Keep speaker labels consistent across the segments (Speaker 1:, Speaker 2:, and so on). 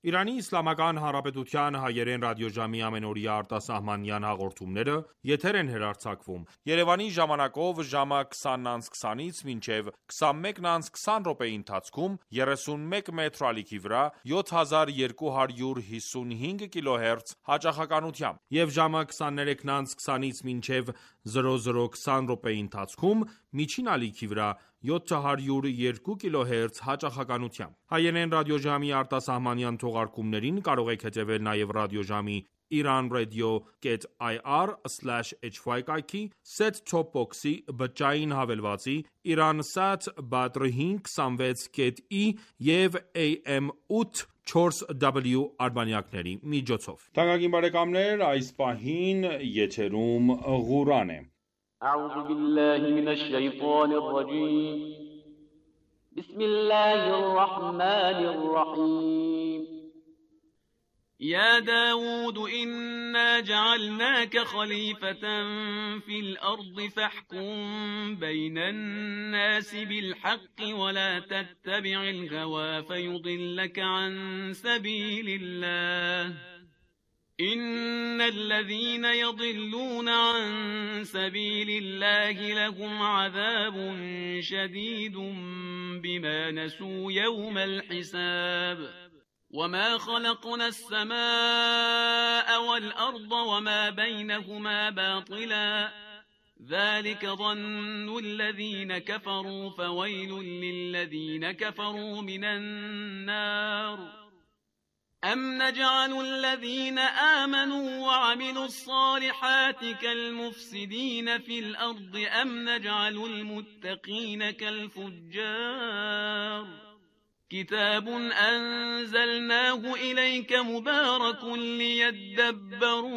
Speaker 1: Իրանի Իսլամական Հանրապետության հայերեն ռադիոժամի ամենօրյա արտասահմանյան հաղորդումները եթեր են հեռարձակվում Երևանի ժամանակով ժամը 20:20-ից մինչև 21:20 րոպեի ընթացքում 31 մետրի ալիքի վրա 7255 կիլոհերց հաճախականությամբ եւ ժամը 23:20-ից մինչև 00:20 րոպեի ընթացքում միջին ալիքի վրա 702 կիլոհերց հաճախականությամբ։ Հայերեն ռադիոժամի արտասահմանյան թողարկումներին կարող եք հետևել նաև ռադիոժամի iranradio.ir/hy կայքի, set-top box-ի, բջջային հավելվածի, Iransat Badr 526.E եւ AM 8/4W արբանյակների միջոցով։ Թանկագին բարեկամներ, այս պահին եթերում Ղուրան է։
Speaker 2: أعوذ بالله من الشيطان الرجيم بسم الله الرحمن الرحيم
Speaker 3: يا داود إنا جعلناك خليفة في الأرض فاحكم بين الناس بالحق ولا تتبع الهوى فيضلك عن سبيل الله إن الذين يضلون عن سبيل الله لهم عذاب شديد بما نسوا يوم الحساب وما خلقنا السماء والأرض وما بينهما باطلا ذلك ظن الذين كفروا فويل للذين كفروا من النار أم نجعل الذين آمنوا وعملوا الصالحات كالمفسدين في الأرض أم نجعل المتقين كالفجار كتاب أنزلناه إليك مبارك ليدبروا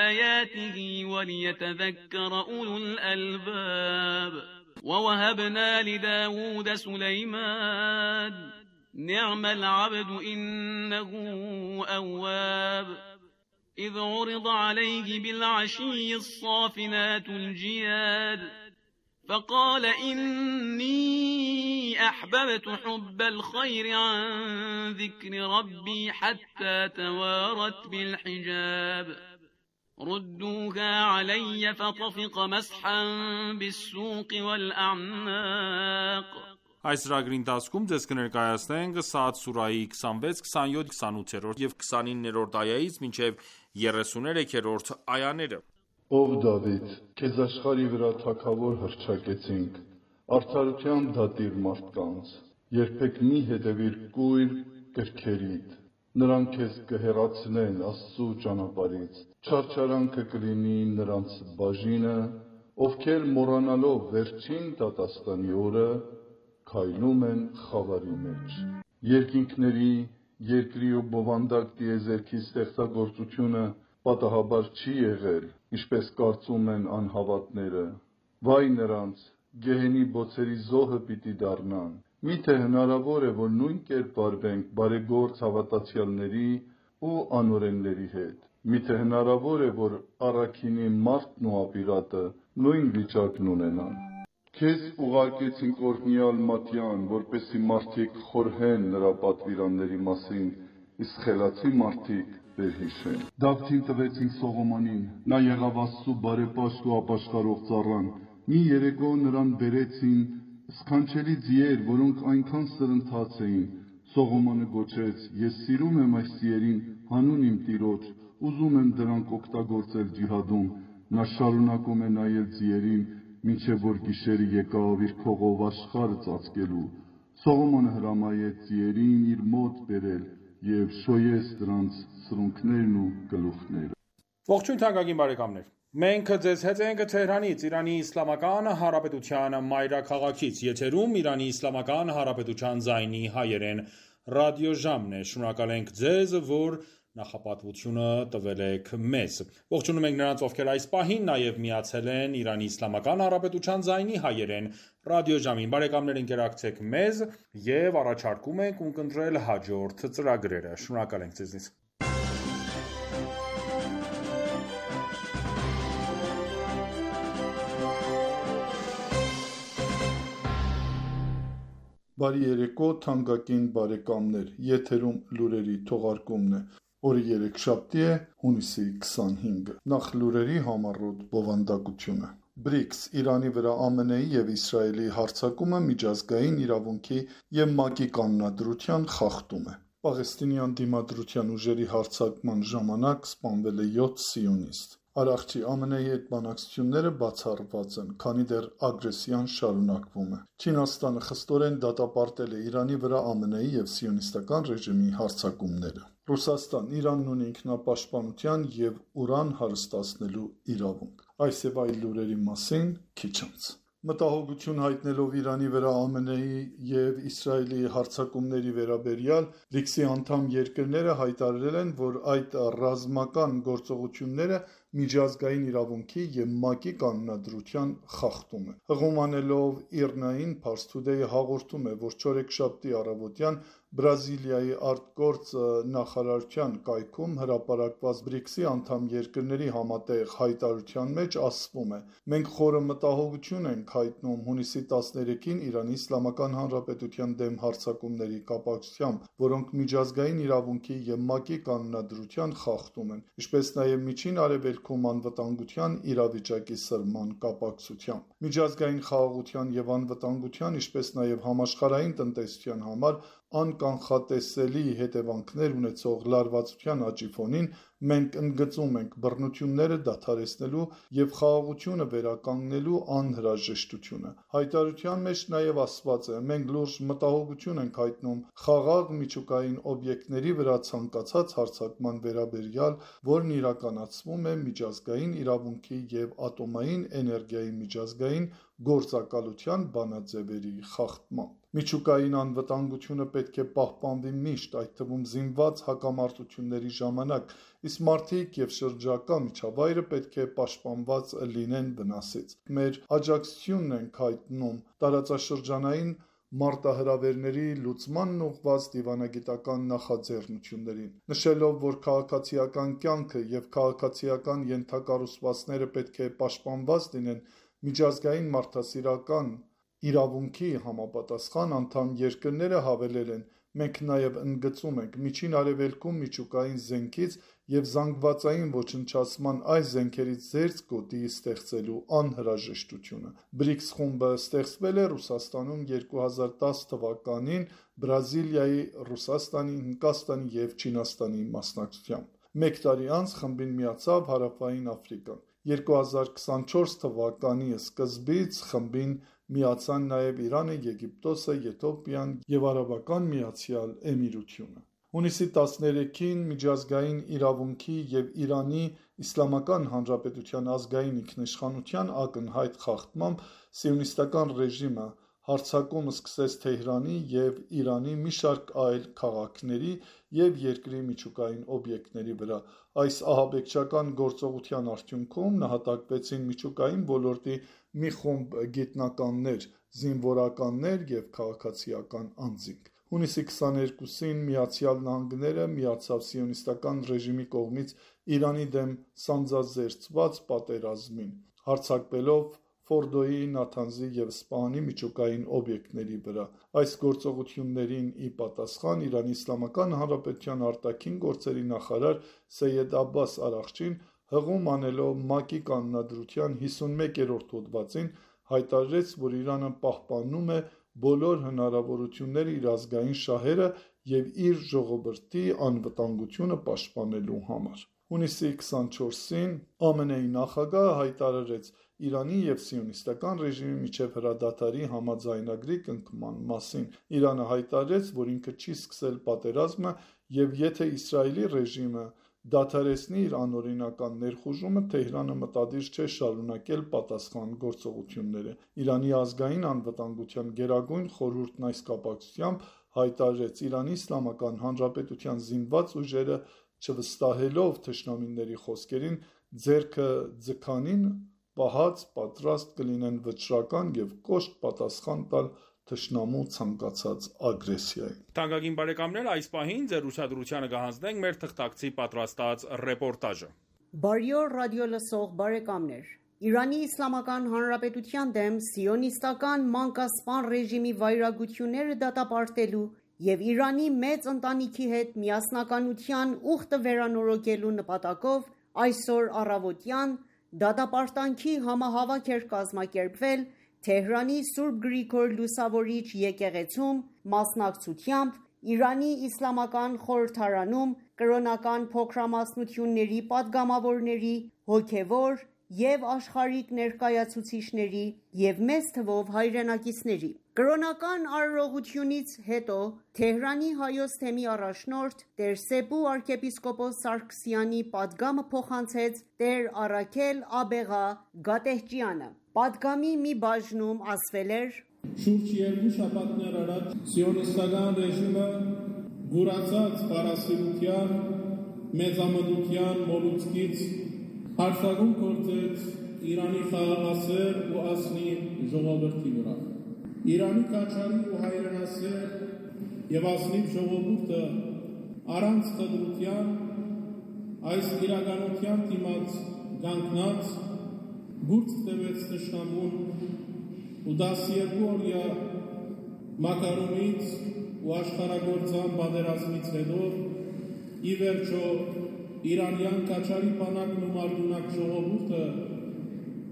Speaker 3: آياته وليتذكر أولو الألباب ووهبنا لداود سليمان نعم العبد إنه أواب إذ عرض عليه بالعشي الصافنات الجياد فقال إني أحببت حب الخير عن ذكر ربي حتى توارت بالحجاب ردوها علي فطفق مسحا بالسوق والأعناق
Speaker 1: Այս ծրագրի ընթացքում ձեզ կներկայացնենք Սաադ սուրահի 26, 27, 28 եւ 29-րդ այայից մինչեւ 33-րդ այաները։
Speaker 4: Ով Դավիթ, քեզ աշխարհի վրա թագավոր հռչակեցինք, արդարության դատիր մարդկանց, երբեք մի հետևիր կույր կրքերիդ, նրանք քեզ կհեռացնեն Աստծու ճանապարհից, չարչարանքը կլինի նրանց բաժինը, ովքեր մոռանալով վերջին դատաստանի օրը քայլում են խավարի մեջ։ Երկինքների, երկրի ու բովանդակ տիեզերքի ստեղծագործությունը պատահաբար չի եղել, ինչպես կարծում են անհավատները։ Վայ նրանց, գեհենի բոցերի զոհը պիտի դառնան։ Միթե հնարավոր է, որ նույն կերպ վարվենք բարեգործ հավատացյալների ու անօրենների հետ։ Միթե հնարավոր է, որ առաքինի մարդն ու ապիրատը նույն վիճակն ունենան։ Քեզ ուղարկեցինք օրհնյալ Մատյան, որպեսզի մարդիկ խորհեն նրա պատվիրանների մասին, իսկ խելացի մարդիկ վերհիշեն։ Դավթին տվեցինք Սողոմոնին, նա եղավ Աստծու բարեպաշտ ու ապաշխարող ծառան։ Մի երեկո նրան բերեցին սքանչելի ձիեր, որոնք այնքան սրընթաց էին։ Սողոմոնը գոչեց. Ես սիրում եմ այս ձիերին հանուն իմ Տիրոջ, ուզում եմ դրանք օգտագործել ջիհադում։ Նա շարունակում է նայել ձիերին, մինչև որ գիշերը եկավ իր քողով աշխարհը ծածկելու։ Սողոմոնը հրամայեց ձիերին իր մոտ բերել եւ շոյեց դրանց սրունքներն ու գլուխները։
Speaker 1: Ողջույն թանկագին բարեկամներ։ Մենք ձեզ հետ ենք Թեհրանից, Իրանի Իսլամական Հանրապետության մայրաքաղաքից, եթերում Իրանի Իսլամական Հանրապետության ձայնի հայերեն ռադիոժամն է։ Շնորհակալ ենք ձեզ, որ նախապատվությունը տվել եք մեզ։ Ողջունում ենք նրանց, ովքեր այս պահին նաև միացել են Իրանի Իսլամական Հանրապետության ձայնի հայերեն ռադիոժամին։ Բարեկամներ, ընկերակցեք մեզ եւ առաջարկում ենք ունկնդրել հաջորդ ծրագրերը։ Շնորհակալ ենք ձեզնից։
Speaker 4: Բարի երեկո, թանկագին բարեկամներ, եթերում լուրերի թողարկումն է, օրը երեքշաբթի է, հունիսի 25-ը, նախ լուրերի համառոտ բովանդակությունը։ BRICS Իրանի վրա ԱՄՆ-ի և Իսրայելի հարձակումը միջազգային իրավունքի և ՄԱԿ-ի կանոնադրության խախտում է։ Պաղեստինյան դիմադրության ուժերի հարձակման ժամանակ սպանվել է 7 սիոնիստ։ Արարչի ԱՄՆ-ի հետ բանակցությունները բացառված են, քանի դեռ ագրեսիան շարունակվում է։ Չինաստանը խստորեն դատապարտել է Իրանի վրա ԱՄՆ-ի և սիոնիստական ռեժիմի հարձակումները։ Ռուսաստան Իրանն ունի ինքնապաշտպանության և ուրան հարստացնելու իրավունք։ Այս և այլ լուրերի մասին քիչ անց։ Մտահոգություն հայտնելով Իրանի վրա ԱՄՆ-ի և Իսրայելի հարձակումների վերաբերյալ, BRICS-ի անդամ երկրները հայտարարել են, որ այդ ռազմական գործողությունները միջազգային իրավունքի և ՄԱԿ-ի կանոնադրության խախտում է։ Հղում անելով ԻՌՆԱ-ին, Pars Today-ը հաղորդում է, որ չորեքշաբթի առավոտյան Բրազիլիայի արտգործ նախարարության կայքում հրապարակված BRICS-ի անդամ երկրների համատեղ հայտարարության մեջ ասվում է. «Մենք խորը մտահոգություն ենք հայտնում հունիսի 13-ին Իրանի Իսլամական Հանրապետության դեմ հարձակումների կապակցությամբ, որոնք միջազգային իրավունքի և ՄԱԿ-ի կանոնադրության խախտում են, ինչպես նաև Միջին Արևելքում անվտանգության իրավիճակի սրման կապակցությամբ։ Միջազգային խաղաղության և անվտանգության, ինչպես նաև համաշխարհային տնտեսության համար անկանխատեսելի հետևանքներ ունեցող լարվածության աճի ֆոնին մենք ընդգծում ենք բռնությունները դադարեցնելու և խաղաղությունը վերականգնելու անհրաժեշտությունը»։ Հայտարարության մեջ նաև ասված է. «Մենք լուրջ մտահոգություն ենք հայտնում խաղաղ միջուկային օբյեկտների վրա ցանկացած հարձակման վերաբերյալ, որն իրականացվում է միջազգային իրավունքի և ատոմային էներգիայի միջազգային գործակալության բանաձևերի խախտմամբ։ Միջուկային անվտանգությունը պետք է պահպանվի միշտ, այդ թվում զինված հակամարտությունների ժամանակ, իսկ մարդիկ և շրջակա միջավայրը պետք է պաշտպանված լինեն վնասից։ Մեր աջակցությունն ենք հայտնում տարածաշրջանային մարտահրավերների լուծմանն ուղղված դիվանագիտական նախաձեռնություններին, նշելով, որ քաղաքացիական կյանքը և քաղաքացիական ենթակառուցվածքները պետք է պաշտպանված լինեն միջազգային մարդասիրական իրավունքի համապատասխան, անդամ երկրները հավելել են. «Մենք նաև ընդգծում ենք Միջին Արևելքում միջուկային զենքից և զանգվածային ոչնչացման այս զենքերից զերծ գոտի ստեղծելու անհրաժեշտությունը»։ BRICS խումբը ստեղծվել է Ռուսաստանում 2010 թվականին Բրազիլիայի, Ռուսաստանի, Հնդկաստանի և Չինաստանի մասնակցությամբ։ Մեկ տարի անց խմբին միացավ Հարավային Աֆրիկան։ 2024 թվականի սկզբից խմբին միացան նաև Իրանը, Եգիպտոսը, Եթովպիան և Արաբական Միացյալ Էմիրությունը։ Հունիսի 13-ին միջազգային իրավունքի և Իրանի Իսլամական Հանրապետության ազգային ինքնիշխանության ակնհայտ խախտմամբ սիոնիստական ռեժիմը հարձակում սկսեց Թեհրանի և Իրանի մի շարք այլ քաղաքների և երկրի միջուկային օբյեկտների վրա։ Այս ահաբեկչական գործողության արդյունքում նահատակվեցին միջուկային ոլորտի մի խումբ գիտնականներ, զինվորականներ և քաղաքացիական անձինք։ Հունիսի 22-ին Միացյալ Նահանգները միացավ սիոնիստական ռեժիմի կողմից Իրանի դեմ սանձազերծված պատերազմին, հարձակվելով Ֆորդոյի, Նաթանզի և Սպահանի միջուկային օբյեկտների վրա։ Այս գործողություններին ի պատասխան Իրանի Իսլամական Հանրապետության արտաքին գործերի նախարար Սեյեդ Աբբաս Արաղչին, հղում անելով ՄԱԿ-ի կանոնադրության 51-րդ հոդվածին, հայտարարեց, որ Իրանը պահպանում է բոլոր հնարավորությունները իր ազգային շահերը և իր ժողովրդի անվտանգությունը պաշտպանելու համար։ Հունիսի 24-ին ԱՄՆ-ի նախագահը հայտարարեց Իրանի և սիոնիստական ռեժիմի միջև հրադադարի համաձայնագրի կնքման մասին։ Իրանը հայտարարեց, որ ինքը չի սկսել պատերազմը, և եթե Իսրայելի ռեժիմը դադարեցնի իր անօրինական ներխուժումը, Թեհրանը մտադիր չէ շարունակել պատասխան գործողությունները։ Իրանի ազգային անվտանգության գերագույն խորհուրդն այս կապակցությամբ հայտարարեց. «Իրանի Իսլամական Հանրապետության զինված ուժերը, չվստահելով թշնամիների խոսքերին, ձեռքը ձգանին պահած պատրաստ կլինեն վճռական և կոշտ պատասխան տալ թշնամու ցանկացած ագրեսիայի»։
Speaker 1: Թանկագին բարեկամներ, այս պահին ձեր ուշադրությանը կհանձնենք մեր թղթակցի պատրաստած ռեպորտաժը։
Speaker 5: Բարի օր ռադիո լսող բարեկամներ։ Իրանի Իսլամական Հանրապետության դեմ սիոնիստական մանկասպան ռեժիմի վայրագությունները դատապարտելու և Իրանի մեծ ընտանիքի հետ միասնականության ուխտը վերանորոգելու նպատակով այսօր առավոտյան դատապարտանքի համահավաք էր կազմակերպվել Թեհրանի Սուրբ Գրիգոր Լուսավորիչ եկեղեցում մասնակցությամբ Իրանի Իսլամական խորհրդարանում կրոնական փոքրամասնությունների պատգամավորների, հոգևոր և աշխարհիկ ներկայացուցիչների և մեծ թվով հայրենակիցների։ Կրոնական արարողությունից հետո Թեհրանի Հայոց թեմի առաջնորդ Տեր Սեբու arczepiskopos Սարգսյանի պատգամը փոխանցեց Տեր Առաքել Աբեղա Գատեհճյանը։ Պատգամի մի բաժնում ասվել էր.
Speaker 6: Շուրջ երկու շաբաթներ առաջ սիոնիստական ռեժիմը գուրացած պարասիրության, մեծամտության մոլուցքից հարձակում գործեց Իրանի խաղաղասեր ու ասնի ժողովրդի վրա։ Իրանի կաչարի ու հայրենասեր և ասնիվ ժողովուրդը առանց խտրության այս իրականության դիմաց կանգնած բուրց տվեց թշնամուն ու 12 օրյա մակարոնից ու աշխարհագործան պատերազմից հետո ի վերջո իրանյան կաչարի բանակն ու մարգունակ ժողովուրդը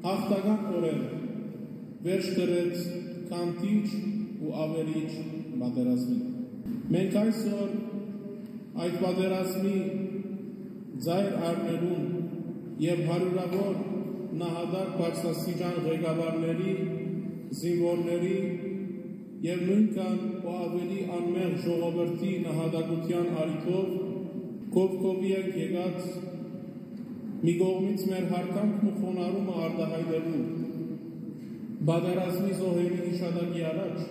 Speaker 6: հաղթականորեն վերջ դրեց կանտիչ ու ավերիչ պատերազմին։ Մենք այսօր այդ պատերազմի ձայր առնելուն և հարյուրավոր նահատակ բարձրաստիճան ղեկավարների, զինվորների և նույնքան ու ավելի անմեղ ժողովրդի նահատակության առիթով կողքովի ենք եկած մի կողմից մեր հարկանքն ու խոնարհումը արտահայտելու պատերազմի զոհերի հիշատակի առաջ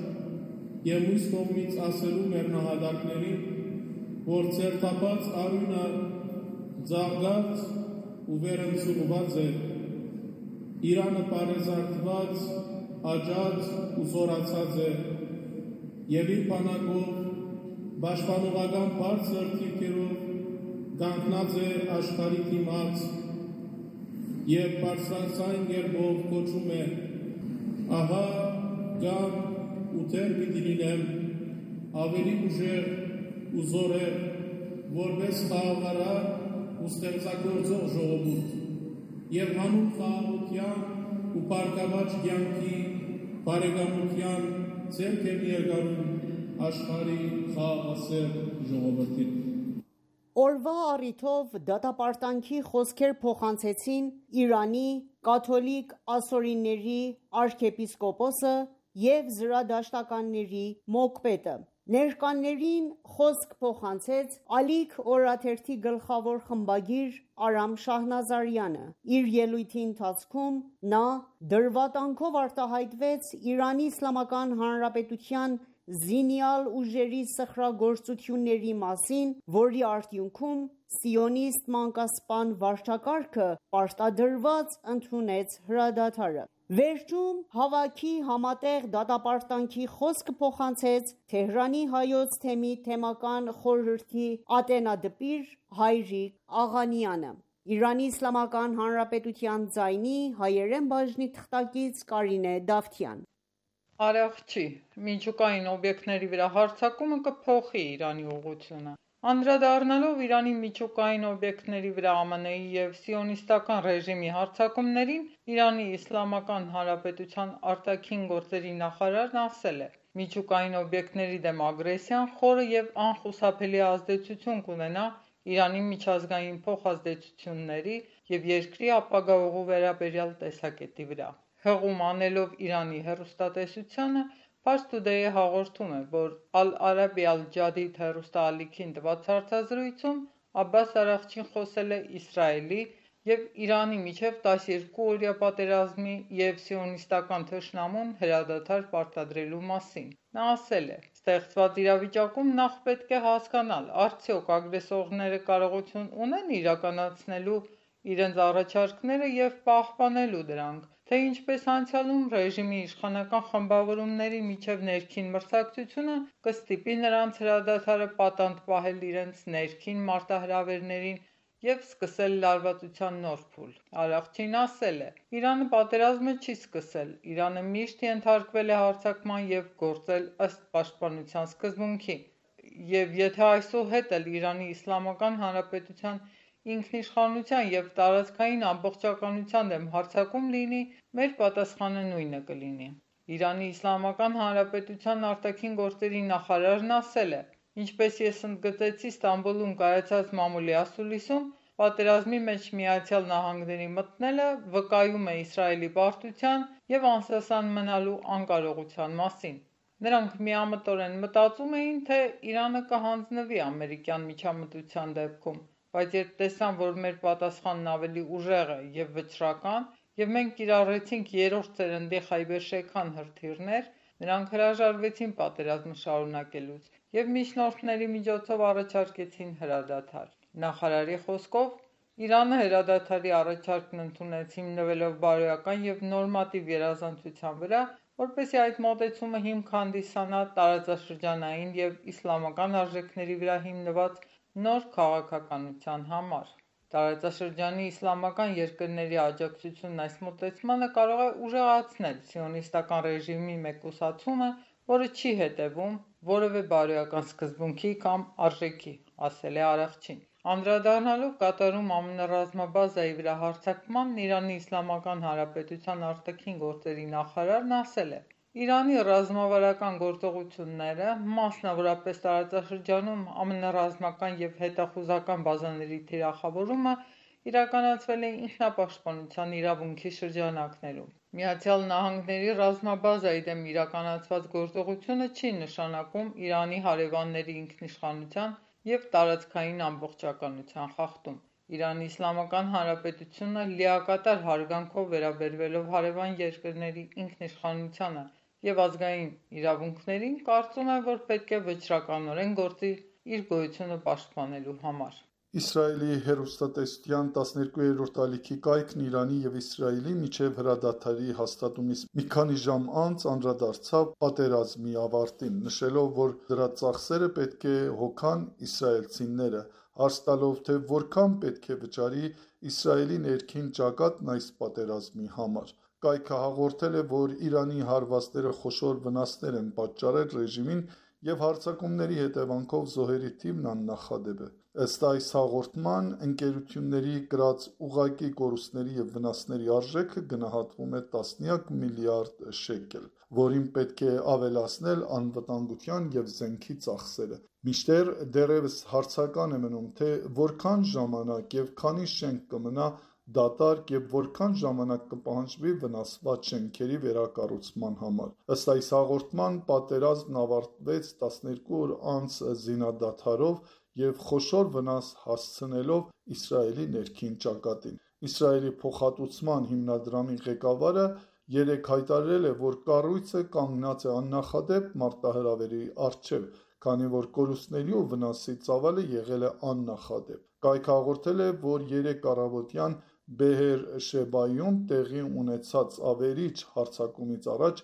Speaker 6: և մյուս կողմից ասելու մեր նահատակներին, որ ցերտապած արյունը ծաղկած ու վերընծուղված է, Իրանը պարեզարդված, աճած ու զորացած է և իր բանակով պաշտպանողական բարձր թիրքերով կանգնած է աշխարհի դիմաց և բարձրաձայն կերպով կոչում է. ահա գամ ու դեռ պիտի լինեմ ավելի ուժեղ ու զորեղ, որպես խաղաղարար ու ստեղծագործող ժողովուրդ և հանուն խաղաղության ու բարգավաճ կյանքի բարեկամության ձեռք եմ երկարում աշխարհի խաղաղասեր ժողովրդին։
Speaker 5: Օրվա առիթով դատապարտանքի խոսքեր փոխանցեցին Իրանի կաթոլիկ ասորիների arczepiskopոսը և զրադաշտականների մոկպետը։ Ներկաներին խոսք փոխանցեց Ալիք օրաթերթի գլխավոր խմբագիր Արամ Շահնազարյանը։ Իր ելույթի ընթացքում նա դրվատանքով արտահայտվեց Իրանի Իսլամական Հանրապետության զինյալ ուժերի սխրագործությունների մասին, որի արդյունքում սիոնիստ մանկասպան վարչակարգը պարտադրված ընդունեց հրադադարը։ Վերջում հավաքի համատեղ դատապարտանքի խոսքը փոխանցեց Թեհրանի Հայոց թեմի թեմական խորհրդի ատենադպիր Հայրիկ Աղանյանը։ Իրանի Իսլամական Հանրապետության ձայնի հայերեն բաժնի թղթակից Կարինե Դավթյան։
Speaker 7: Արարողջի միջուկային օբյեկտների վրա հարձակումը կփոխի Իրանի ուղղությունը։ Անդրադառնալով Իրանի միջուկային օբյեկտների վրա ԱՄՆ-ի և սիոնիստական ռեժիմի հարձակումներին, Իրանի Իսլամական Հանրապետության արտաքին գործերի նախարարն ասել է. միջուկային օբյեկտների դեմ ագրեսիան խորը և անխուսափելի ազդեցություն կունենա Իրանի միջազգային փոխազդեցությունների և երկրի ապագա ուղու վերաբերյալ տեսակետի վրա։ Հղում անելով Իրանի հեռուստատեսությանը, Fars Today-ը հաղորդում է, որ Al-Arabi Al-Jadid հեռուստաալիքին տված հարցազրույցում Աբբաս Արաղչին խոսել է Իսրայելի և Իրանի միջև 12 օրյա պատերազմի և սիոնիստական թշնամուն հրադադար պարտադրելու մասին։ Նա ասել է. «Ստեղծված իրավիճակում նախ պետք է հասկանալ, արդյոք ագրեսորները կարողություն ունեն իրականացնելու իրենց առաջարկները և պահպանելու դրանք, թե ինչպես անցյալում ռեժիմի իշխանական խմբավորումների միջև ներքին մրցակցությունը կստիպի նրանց հրադադարը պատանդ պահել իրենց ներքին մարտահրավերներին և սկսել լարվածության նոր փուլ։ Արաղչին ասել է. «Իրանը պատերազմը չի սկսել, Իրանը միշտ ենթարկվել է հարձակման և գործել ըստ պաշտպանության սկզբունքի, և եթե այսուհետ էլ Իրանի Իսլամական Հանրապետության ինքնիշխանության և տարածքային ամբողջականության դեմ հարձակում լինի, մեր պատասխանը նույնը կլինի»։ Իրանի Իսլամական Հանրապետության արտաքին գործերի նախարարն ասել է. «Ինչպես ես ընդգծեցի Ստամբուլում կայացած մամուլի ասուլիսում, պատերազմի մեջ ԱՄՆ-ի մտնելը վկայում է Իսրայելի պարտության և անսասան մնալու անկարողության մասին»։ Նրանք միամտորեն մտածում էին, թե Իրանը կհանձնվի ամերիկյան միջամտության դեպքում, բայց երբ տեսան, որ մեր պատասխանն ավելի ուժեղ է և վճռական, և մենք կիրառեցինք երրորդ սերնդի Խայբեր Շեքան հրթիռներ, նրանք հրաժարվեցին պատերազմը շարունակելուց և միջնորդների միջոցով առաջարկեցին հրադադար։ Նախարարի խոսքով, Իրանը հրադադարի առաջարկն ընդունեց հիմնվելով բարոյական և նորմատիվ գերազանցության վրա, որպեսզի այդ մոտեցումը հիմք հանդիսանա տարածաշրջանային և իսլամական արժեքների վրա հիմնված նոր քաղաքականության համար։ Տարածաշրջանի իսլամական երկրների աջակցությունն այս մոտեցմանը կարող է ուժեղացնել սիոնիստական ռեժիմի մեկուսացումը, որը չի հետևում որևէ բարոյական սկզբունքի կամ արժեքի, ասել է Արաղչին։ Անդրադառնալով Կատարում ԱՄՆ ռազմաբազայի վրա հարձակմանն, Իրանի Իսլամական Հանրապետության արտաքին գործերի նախարարն ասել է. «Իրանի ռազմավարական գործողությունները, մասնավորապես տարածաշրջանում ԱՄՆ ռազմական և հետախուզական բազաների թիրախավորումը, իրականացվել է ինքնապաշտպանության իրավունքի շրջանակներում։ ԱՄՆ-ի ռազմաբազայի դեմ իրականացված գործողությունը չի նշանակում Իրանի հարևանների ինքնիշխանության և տարածքային ամբողջականության խախտում։ Իրանի Իսլամական Հանրապետությունը լիակատար հարգանքով վերաբերվելով հարևան երկրների ինքնիշխանությանը և ազգային իրավունքներին, կարծում է, որ պետք է վճռականորեն գործի իր գոյությունը պաշտպանելու համար»։
Speaker 4: Իսրայելի հեռուստատեսության 12-րդ ալիքի կայքն Իրանի և Իսրայելի միջև հրադադարի հաստատումից մի քանի ժամ անց անդրադարձավ պատերազմի ավարտին, նշելով, որ դրա ծախսերը պետք է հոգան իսրայելցիները, հարց տալով, թե որքան պետք է վճարի Իսրայելի ներքին ճակատն այս պատերազմի համար։ Կայքը հաղորդել է, որ Իրանի հարվածները խոշոր վնասներ են պատճառել ռեժիմին և հարձակումների հետևանքով զոհերի թիվն աննախադեպ է։ Ըստ այս հաղորդման, ընկերությունների կրած ուղղակի կորուստների և վնասների արժեքը գնահատվում է տասնյակ միլիարդ շեկել, որին պետք է ավելացնել անվտանգության և զենքի ծախսերը։ Մինչդեռ դեռևս հարցական է մնում, թե որքան ժամանակ և քանի շենք կմնա դատարկ և որքան ժամանակ կպահանջվի վնասված շենքերի վերակառուցման համար։ Ըստ այս հաղորդման, պատերազմն ավարտվեց 12 օր անց զինադադարով և խոշոր վնաս հասցնելով Իսրայելի ներքին ճակատին։ Իսրայելի փոխհատուցման հիմնադրամի ղեկավարը երեկ հայտարարել է, որ կառույցը կանգնած է աննախադեպ մարտահրավերի առջև, քանի որ կորուստների ու վնասի ծավալը եղել է աննախադեպ։ Կայքը հաղորդել է, որ երեկ առավոտյան Բեհեր Շեբայում տեղի ունեցած ավերիչ հարձակումից առաջ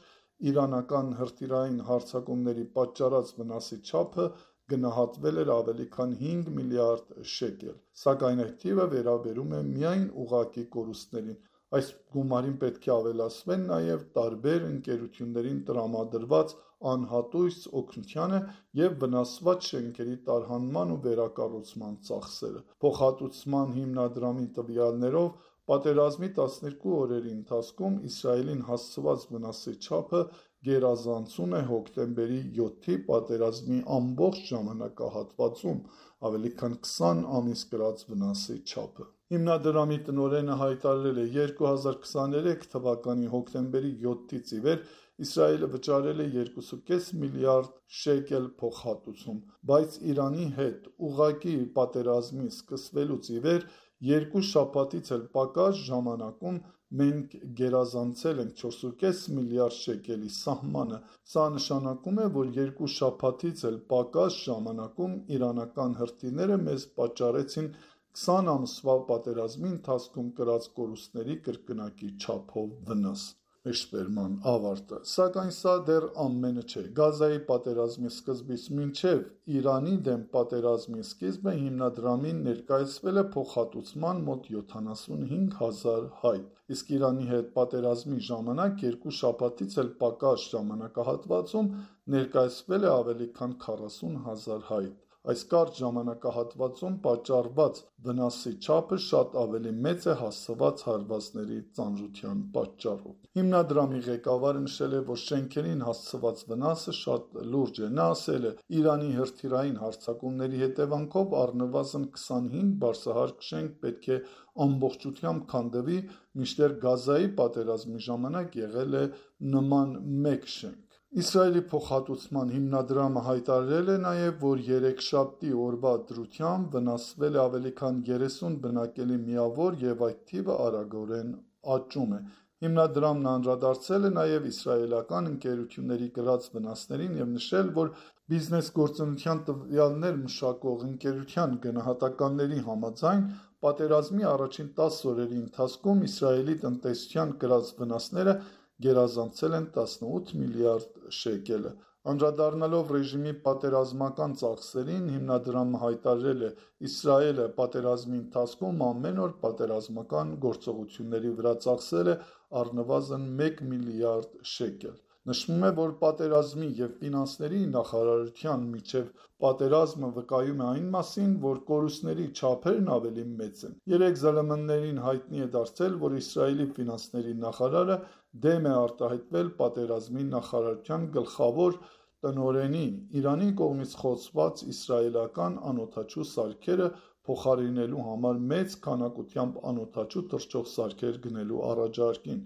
Speaker 4: իրանական հրթիռային հարձակումների պատճառած վնասի չափը գնահատվել էր ավելի քան 5 միլիարդ շեկել, սակայն այդ թիվը վերաբերում է միայն ուղղակի կորուստներին։ Այս գումարին պետք է ավելացվեն նաև տարբեր ընկերություններին տրամադրված անհատույց օգնությանը և վնասված շենքերի տարհանման ու վերակառուցման ծախսերը։ Փոխհատուցման հիմնադրամի տվյալներով, պատերազմի 12 օրերի ընթացքում Իսրայելին հասցված վնասի չափը գերազանցում է հոկտեմբերի 7-ի պատերազմի ամբողջ ժամանակահատվածում ավելի քան 20 ամիս կրած վնասի չափը։ Հիմնադրամի տնօրենը հայտարարել է. «2023 թվականի հոկտեմբերի 7-ից ի վեր Իսրայելը վճարել է 2.5 միլիարդ շեկել փոխհատուցում, բայց Իրանի հետ ուղղակի պատերազմի սկսվելուց ի վեր 2 շաբաթից էլ պակաս ժամանակում մենք գերազանցել ենք 4.5 միլիարդ շեկելի սահմանը։ Սա նշանակում է, որ 2 շաբաթից էլ պակաս ժամանակում իրանական հրթիռները մեզ պատճառեցին 20 ամսվա պատերազմի ընթացքում կրած կորուստների կրկնակի չափով վնաս»։ մեջբերման ավարտը։ Սակայն սա դեռ ամենը չէ։ Գազայի պատերազմի սկզբից մինչև Իրանի դեմ պատերազմի սկիզբը հիմնադրամին ներկայացվել է փոխհատուցման մոտ 75,000 հայտ, իսկ Իրանի հետ պատերազմի ժամանակ 2 շաբաթից էլ պակաս ժամանակահատվածում ներկայացվել է ավելի քան 40,000 հայտ։ Այս կարճ ժամանակահատվածում պատճառված վնասի չափը շատ ավելի մեծ է հասցված հարվածների ծանրության պատճառով։ Հիմնադրամի ղեկավարը նշել է, որ շենքերին հասցված վնասը շատ լուրջ է։ Նա ասել է. «Իրանի հրթիռային հարձակումների հետևանքով առնվազն 25 բարձրահարկ շենք պետք է ամբողջությամբ քանդվի, մինչդեռ Գազայի պատերազմի ժամանակ եղել է նման մեկ շենք»։ Իսրայելի փոխհատուցման հիմնադրամը հայտարարել է նաև, որ երեքշաբթի օրվա դրությամբ վնասվել է ավելի քան 30 բնակելի միավոր և այդ թիվը արագորեն աճում է։ Հիմնադրամն անդրադարձել է նաև իսրայելական ընկերությունների կրած վնասներին և նշել, որ բիզնես գործունեության տվյալներ մշակող ընկերության գնահատականների համաձայն պատերազմի առաջին 10 օրերի ընթացքում Իսրայելի տնտեսության կրած վնասները գերազանցել են 18 միլիարդ շեկելը։ Անդրադառնալով ռեժիմի պատերազմական ծախսերին, հիմնադրամը հայտարարել է. «Իսրայելը պատերազմի ընթացքում ամեն օր պատերազմական գործողությունների վրա ծախսել է առնվազն 1 միլիարդ շեկել»։ Նշվում է, որ պատերազմի և ֆինանսների նախարարության միջև պատերազմը վկայում է այն մասին, որ կորուստների չափերն ավելի մեծ են։ 3 ԶԼՄ-ներին հայտնի է դարձել, որ Իսրայելի ֆինանսների նախարարը դեմ է արտահայտվել պատերազմի նախարարության գլխավոր տնօրենի՝ Իրանի կողմից խոցված իսրայելական անօդաչու սարքերը փոխարինելու համար մեծ քանակությամբ անօդաչու թռչող սարքեր գնելու առաջարկին։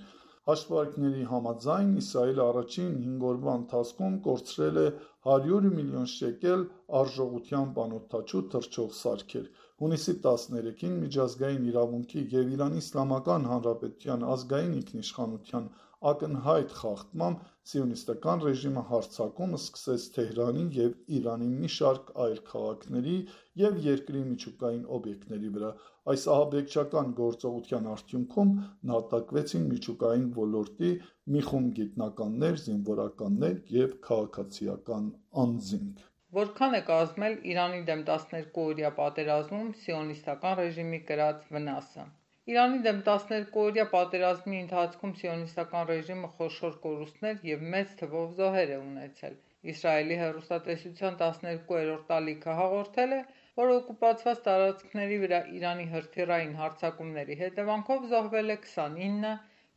Speaker 4: Հաշվարկների համաձայն, Իսրայելը առաջին 5 օրվա ընթացքում կորցրել է 100 միլիոն շեկել արժողությամբ անօդաչու թռչող սարքեր։ Հունիսի 13-ին Միջազգային իրավունքի և Իրանի Իսլամական Հանրապետության ազգային ինքնիշխանության ակնհայտ խախտմամբ սիոնիստական ռեժիմը հարձակում սկսեց Թեհրանի և Իրանի մի շարք այլ քաղաքների և երկրի միջուկային օբյեկտների վրա։ Այս ահաբեկչական գործողության արդյունքում նահատակվեցին միջուկային ոլորտի մի խումբ գիտնականներ, զինվորականներ և քաղաքացիական անձինք։
Speaker 7: Որքան է կազմել Իրանի դեմ 12-օրյա պատերազմում սիոնիստական ռեժիմի կրած վնասը։ Իրանի դեմ 12-օրյա պատերազմի ընթացքում սիոնիստական ռեժիմը խոշոր կորուստներ և մեծ թվով զոհեր է ունեցել։ Իսրայելի հեռուստատեսության 12-րդ տալիքը հաղորդել է, որ օկուպացված տարածքների վրա Իրանի հրթիռային հարձակումների հետևանքով զոհվել է 29,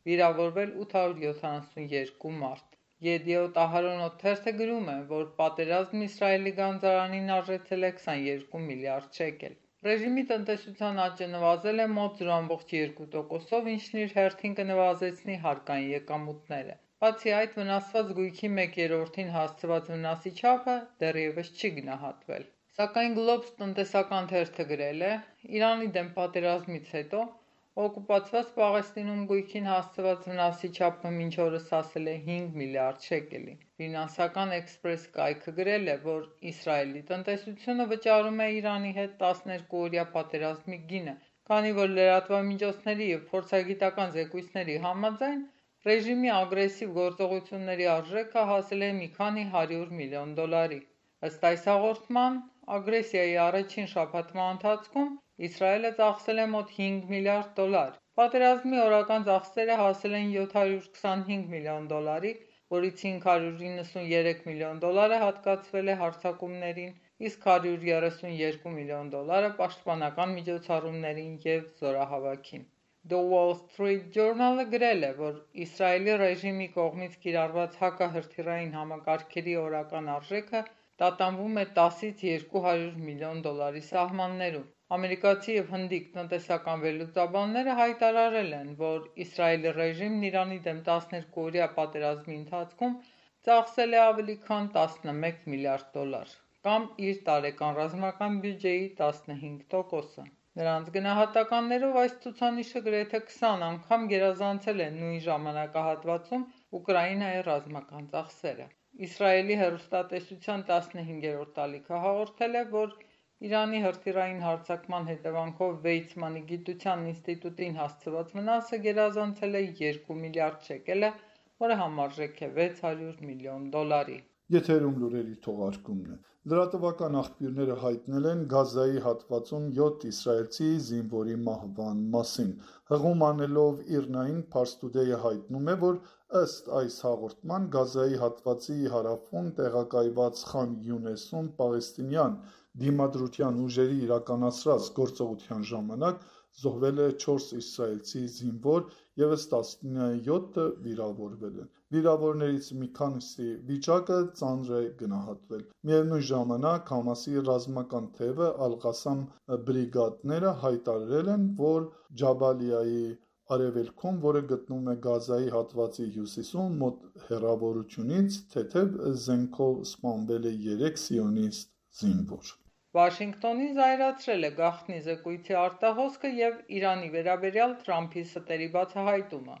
Speaker 7: վիրավորվել 872 մարդ։ Yediot Aharonot թերթը գրում է, որ պատերազմն Իսրայելի գանձարանին արժեցել է 22 միլիարդ շեկել։ Ռեժիմի տնտեսության աճը նվազել է մոտ 0,2%-ով, ինչն իր հերթին կնվազեցնի հարկային եկամուտները։ Բացի այդ, վնասված գույքի 1/3-ին հասցված վնասի չափը դեռևս չի գնահատվել։ Սակայն Globes տնտեսական թերթը գրել է. «Իրանի դեմ պատերազմից հետո օկուպացված Պաղեստինում գույքին հասցված վնասի չափը մինչ օրս հասել է 5 միլիարդ շեկելի»։ Ֆինանսական Էքսպրես կայքը գրել է, որ Իսրայելի տնտեսությունը վճարում է Իրանի հետ 12-օրյա պատերազմի գինը, քանի որ լրատվամիջոցների և փորձագիտական զեկույցների համաձայն ռեժիմի ագրեսիվ գործողությունների արժեքը հասել է մի քանի 100 միլիոն դոլարի։ Ըստ այս հաղորդման, ագրեսիայի առաջին շաբաթվա ընթացքում Իսրայելը ծախսել է մոտ 5 միլիարդ դոլար։ Պատերազմի օրական ծախսերը հասել են 725 միլիոն դոլարի, որից 593 միլիոն դոլարը հատկացվել է հարձակումներին, իսկ 132 միլիոն դոլարը պաշտպանական միջոցառումներին և զորահավաքին։ The Wall Street Journal-ը գրել է, որ Իսրայելի ռեժիմի կողմից կիրառված հակահրթիռային համակարգերի օրական արժեքը տատանվում է 10-ից 200 միլիոն դոլարի սահմաններում։ Ամերիկացի և հնդիկ տնտեսական վերլուծաբանները հայտարարել են, որ Իսրայելի ռեժիմն Իրանի դեմ 12-օրյա պատերազմի ընթացքում ծախսել է ավելի քան 11 միլիարդ դոլար, կամ իր տարեկան ռազմական բյուջեի 15%-ը։ Նրանց գնահատականներով այս ցուցանիշը գրեթե 20 անգամ գերազանցել է նույն ժամանակահատվածում Ուկրաինայի ռազմական ծախսերը։ Իսրայելի հեռուստատեսության 15-րդ տալիքը հաղորդել է, որ Իրանի հրթիռային հարձակման հետևանքով Վեյցմանի գիտության ինստիտուտին հասցված վնասը գերազանցել է 2 միլիարդ շեկելը, որը համարժեք է $600 միլիոն։
Speaker 4: Եթերում լուրերի թողարկումն է։ Լրատվական աղբյուրները հայտնել են Գազայի հատվածում 7 իսրայելցի զինվորի մահվան մասին։ Հղում անելով ԻՌՆԱ-ին Pars Today-ը հայտնում է, որ ըստ այս հաղորդման Գազայի հատվածի հարավում տեղակայված Խան Յունեսում պաղեստինյան դիմադրության ուժերի իրականացրած գործողության ժամանակ զոհվել է 4 իսրայելցի զինվոր, ևս 17-ը վիրավորվել են։ Վիրավորներից մի քանիսի վիճակը ծանր է գնահատվել։ Միևնույն ժամանակ Համասի ռազմական թևը Ալ-Ղասամ բրիգադները հայտարարել են, որ Ջաբալիայի արևելքում, որը գտնվում է Գազայի հատվածի հյուսիսում, մոտ հեռավորությունից, թեթև զենքով սպանվել է 3 սիոնիստ զինվոր։
Speaker 7: Վաշինգտոնին զայրացրել է գաղտնի զեկույցի արտահոսքը և Իրանի վերաբերյալ Թրամփի ստերի բացահայտումը։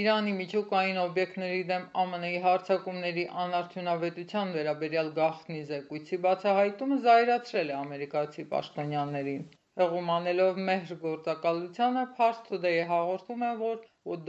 Speaker 7: Իրանի միջուկային օբյեկտների դեմ ԱՄՆ-ի հարձակումների անարդյունավետության վերաբերյալ գաղտնի զեկույցի բացահայտումը զայրացրել է ամերիկացի պաշտոնյաներին։ Հղում անելով մեհր գործակալությանը, Pars Today-ը հաղորդում է, որ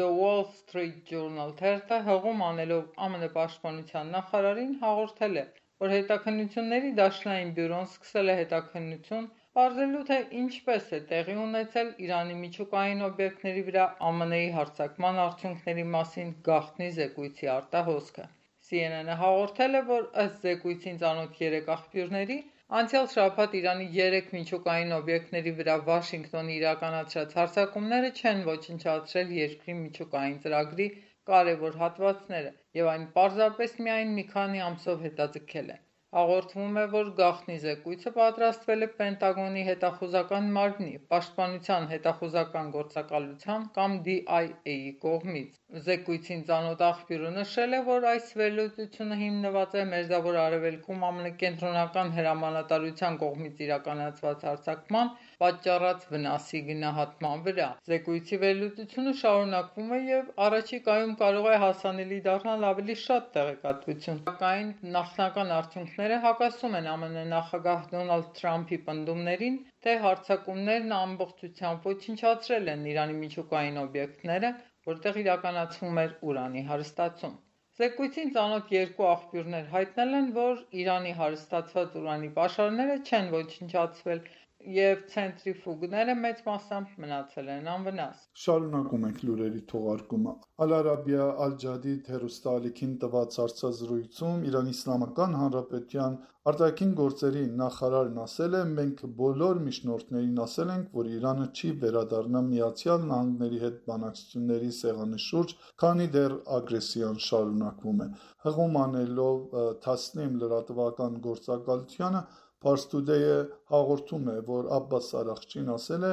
Speaker 7: The Wall Street Journal թերթը հղում անելով ԱՄՆ պաշտպանության նախարարին հաղորդել է, որ հետաքննությունների դաշնային բյուրոն սկսել է հետաքննություն, պարզելու թե ինչպես է տեղի ունեցել Իրանի միջուկային օբյեկտների վրա ԱՄՆ-ի հարձակման արդյունքների մասին գաղտնի զեկույցի արտահոսքը։ CNN-ը հաղորդել է, որ ըստ զեկույցին ծանոթ 3 աղբյուրների, անցյալ շաբաթ Իրանի 3 միջուկային օբյեկտների վրա Վաշինգտոնի իրականացրած հարձակումները չեն ոչնչացրել երկրի միջուկային ծրագրի կարևոր հատվածները և այն պարզապես միայն մի քանի ամսով հետաձգել են։ Հաղորդվում է, որ գաղտնի զեկույցը պատրաստվել է Պենտագոնի հետախուզական մարմնի, Պաշտպանության հետախուզական գործակալության կամ DIA-ի կողմից։ Զեկույցին ծանոթ աղբյուրը նշել է, որ այս վերլուծությունը հիմնված է Մերձավոր Արևելքում ԱՄՆ կենտրոնական հրամանատարության կողմից իրականացված հարձակման պատճառած վնասի գնահատման վրա։ Զեկույցի վերլուծությունը շարունակվում է և առաջիկայում կարող է հասանելի դառնալ ավելի շատ տեղեկատվություն, սակայն նախնական արդյունքները հակասում են ԱՄՆ նախագահ Դոնալդ Թրամփի պնդումներին, թե հարձակումներն ամբողջությամբ ոչնչացրել են Իրանի միջուկային օբյեկտները, որտեղ իրականացվում էր ուրանի հարստացում։ Զեկույցին ծանոթ 2 աղբյուրներ հայտնել են, որ Իրանի հարստացված ուրանի պաշարները չեն ոչնչացվել և ցենտրիֆուգները մեծ մասամբ մնացել են անվնաս։
Speaker 4: Շարունակում ենք լուրերի թողարկումը։ Ալ-Արաբիա Ալ-Ջադիդ հեռուստաալիքին տված հարցազրույցում Իրանի Իսլամական Հանրապետության արտաքին գործերի նախարարն ասել է. «Մենք բոլոր միջնորդներին ասել ենք, որ Իրանը չի վերադառնա Միացյալ Նահանգների հետ բանակցությունների սեղանի շուրջ, քանի դեռ ագրեսիան շարունակվում է»։ Հղում անելով Թասնիմ լրատվական գործակալությանը, Pars Today-ը հաղորդում է, որ Աբբաս Արաղչին ասել է.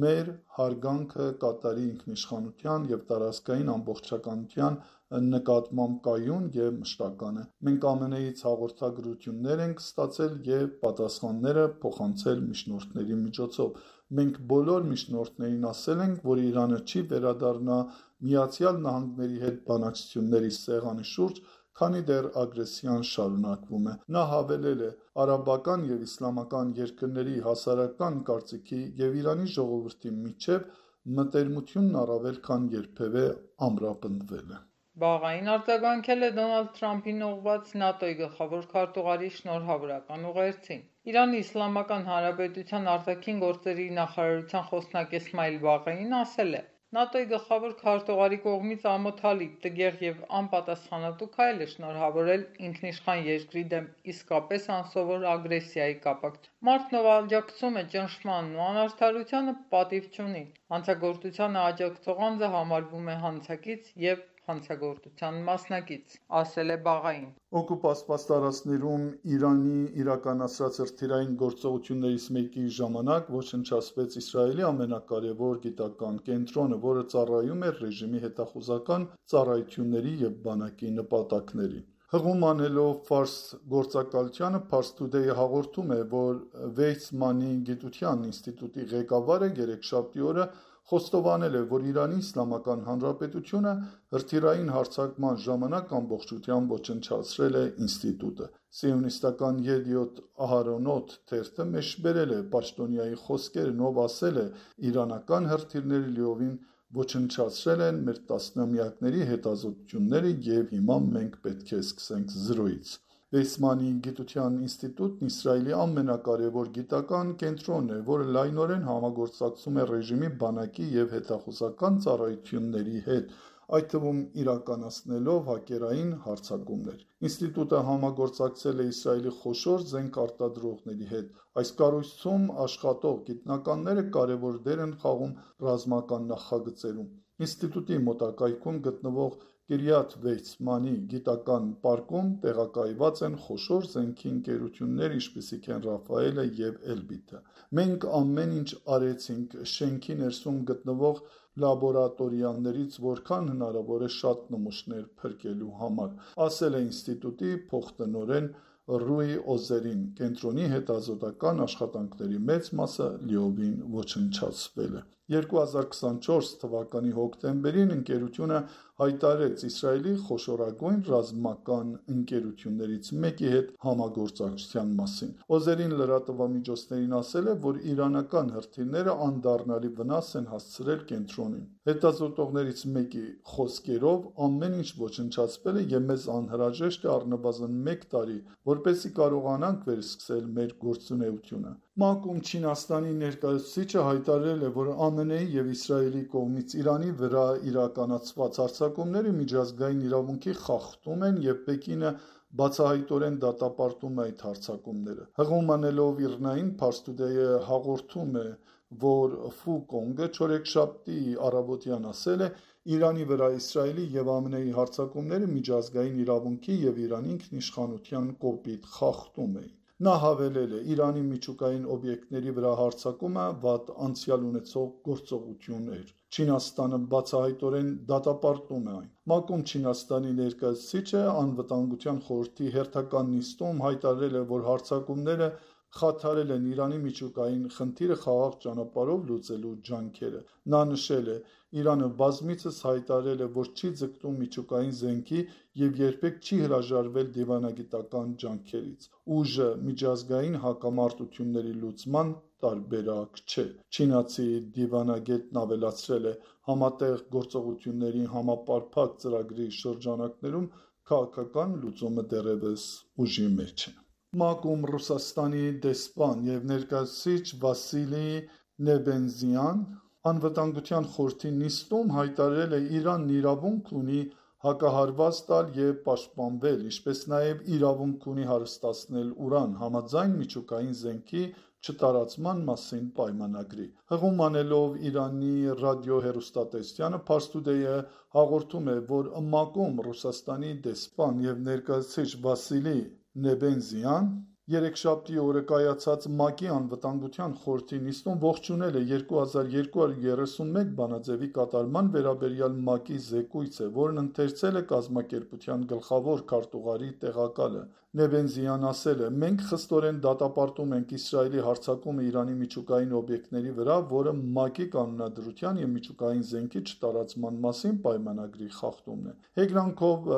Speaker 4: «Մեր հարգանքը Կատարի ինքնիշխանության և տարածքային ամբողջականության նկատմամբ կայուն և մշտական է։ Մենք ԱՄՆ-ից հաղորդագրություններ ենք ստացել և պատասխանները փոխանցել միջնորդների միջոցով։ Մենք բոլոր միջնորդներին ասել ենք, որ Իրանը չի վերադառնա Միացյալ Նահանգների հետ բանակցությունների սեղանի շուրջ, քանի դեռ ագրեսիան շարունակվում է»։ Նա հավելել է. «Արաբական և իսլամական երկրների հասարակական կարծիքի և Իրանի ժողովրդի միջև մտերմությունն առավել քան երբևէ ամրապնդվել է»։
Speaker 7: Վաղային արձագանքել է Դոնալդ Թրամփին ուղղված ՆԱՏՕ-ի գլխավոր քարտուղարի շնորհավորական ուղերձին։ Իրանի Իսլամական Հանրապետության արտաքին գործերի նախարարության խոսնակ Էսմայիլ Բաղեին ասել է. «ՆԱՏՕ-ի գլխավոր քարտուղարի կողմից ամոթալի, տգեղ և անպատասխանատու քայլ է շնորհավորել ինքնիշխան երկրի դեմ իսկապես անսովոր ագրեսիայի կապակցությամբ։ Մարդն, ով աջակցում է ճնշմանն ու անարդարությանը, պատիվ չունի։ Հանցագործությանը աջակցող անձը համարվում է հանցակից և հանցագործության մասնակից», ասել է Բաղային։
Speaker 4: Օկուպացված տարածքներում Իրանի իրականացրած հրթիռային գործողություններից մեկի ժամանակ ոչնչացվեց Իսրայելի ամենակարևոր գիտական կենտրոնը, որը ծառայում էր ռեժիմի հետախուզական ծառայությունների և բանակի նպատակներին։ Հղում անելով Ֆարս գործակալությանը, Pars Today-ը հաղորդում է, որ Վեյցմանի գիտության ինստիտուտի ղեկավարը երեքշաբթի օրը խոստովանել է, որ Իրանի Իսլամական Հանրապետությունը հրթիռային հարձակման ժամանակ ամբողջությամբ ոչնչացրել է ինստիտուտը։ Սիոնիստական Յեդիոթ Ahronot թերթը մեջբերել է պաշտոնյայի խոսքերն, ով ասել է. «Իրանական հրթիռները լիովին ոչնչացրել են մեր տասնամյակների հետազոտությունները եւ հիմա մենք պետք է սկսենք զրոյից։ Վեյսմանի գիտության ինստիտուտն Իսրայելի ամենակարևոր գիտական կենտրոնն է, որը լայնորեն համագործակցում է ռեժիմի բանակի եւ հետախուզական ծառայությունների հետ, այդ թվում իրականացնելով հակերային հարձակումներ։ Ինստիտուտը համագործակցել է Իսրայելի խոշոր զենք արտադրողների հետ։ Այս կառույցում աշխատող գիտնականները կարևոր դեր են խաղում ռազմական նախագծերում։ Ինստիտուտի մոտակայքում գտնվող Կիրիաթ Վեյցմանի գիտական պարկում տեղակայված են խոշոր զենքի ընկերություններ, ինչպիսիք են Ռաֆայելը եւ Էլբիտը։ Մենք ամեն ինչ արեցինք շենքի ներսում գտնվող լաբորատորիաներից որքան հնարավոր է շատ նմուշներ փրկելու համար, ասել է ինստիտուտի փոխտնօրեն Ռուի Օզերին։ Կենտրոնի հետազոտական աշխատանքների մեծ մասը լիովին ոչնչացվել է։ 2024 թվականի հոկտեմբերին ընկերությունը հայտարարեց Իսրայելի խոշորագույն ռազմական ընկերություններից մեկի հետ համագործակցության մասին։ Օզերին լրատվամիջոցներին ասել է, որ իրանական հրթիռները անդառնալի վնաս են հասցրել կենտրոնին։ Հետազոտողներից մեկի խոսքերով ամեն ինչ ոչնչացվել է եւ մեզ անհրաժեշտ է առնվազն 1 տարի, որպեսզի կարողանանք վերսկսել մեր գործունեությունը։ ՄԱԿ-ում Չինաստանի ներկայացուցիչը հայտարարել է, որ ԱՄՆ-ի եւ Իսրայելի կողմից Իրանի վրա իրականացված հարձակումները միջազգային իրավունքի խախտում են եւ Պեկինը բացահայտորեն դատապարտում է այդ հարձակումները։ Հղում անելով Իրնային Փարսթուդեյը հաղորդում է, որ Ֆու Կոնգը չորեքշաբթի առավոտյան ասել է, Իրանի վրա Իսրայելի եւ ԱՄՆ-ի հարձակումները միջազգային իրավունքի եւ Իրանի ինքնիշխանության կոպիտ խախտում էին։ Նա հավելել է, Իրանի միջուկային օբյեկտների վրա հարձակումը վատ անցյալ ունեցող գործողություն էր։ Չինաստանը բացահայտորեն դատապարտում է այն։ ՄԱԿ-ում Չինաստանի ներկայացուցիչը անվտանգության խորհրդի հերթական նիստում հայտարարել է, որ հարձակումները խաթարել են Իրանի միջուկային խնդիրը խաղաղ ճանապարհով լուծելու ջանքերը։ Նա նշել է, Իրանը բազմիցս հայտարարել է, որ չի ձգտում միջուկային զենքի եւ երբեք չի հրաժարվել դիվանագիտական ջանքերից։ Ուժը միջազգային հակամարտությունների լուծման տարբերակ չէ։ Չինացի դիվանագետն ավելացրել է, համատեղ գործողությունների համապարփակ ծրագրի շրջանակներում քաղաքական լուծումը դեռևս ուժի մեջ է։ ՄԱԿ-ում Ռուսաստանի դեսպան եւ ներկայացուցիչ Վասիլի Նեբենզյան անվտանգության խորհրդի նիստում հայտարարել է, Իրանն իրավունք ունի հակահարված տալ եւ պաշտպանվել, ինչպես նաեւ իրավունք ունի հարստացնել ուրան համաձայն միջուկային զենքի չտարածման մասին պայմանագրի։ Հղում անելով Իրանի ռադիոհեռուստատեսությանը Փարսթուդեյը հաղորդում է, որ ՄԱԿ-ում Ռուսաստանի դեսպան եւ ներկայացուցիչ Վասիլի Նեբենզյան երեքշաբթի օրը կայացած ՄԱԿ-ի անվտանգության խորհրդի նիստում ողջունել է 2231 բանաձևի կատարման վերաբերյալ ՄԱԿ-ի զեկույցը, որն ընթերցել է կազմակերպության գլխավոր քարտուղարի տեղակալը։ Նեբենզյան ասել է, մենք խստորեն դատապարտում ենք Իսրայելի հարձակումը Իրանի միջուկային օբյեկտների վրա, որը ՄԱԿ-ի կանոնադրության եւ միջուկային զենքի չտարածման մասին պայմանագրի խախտումն է։ Հեգրանքով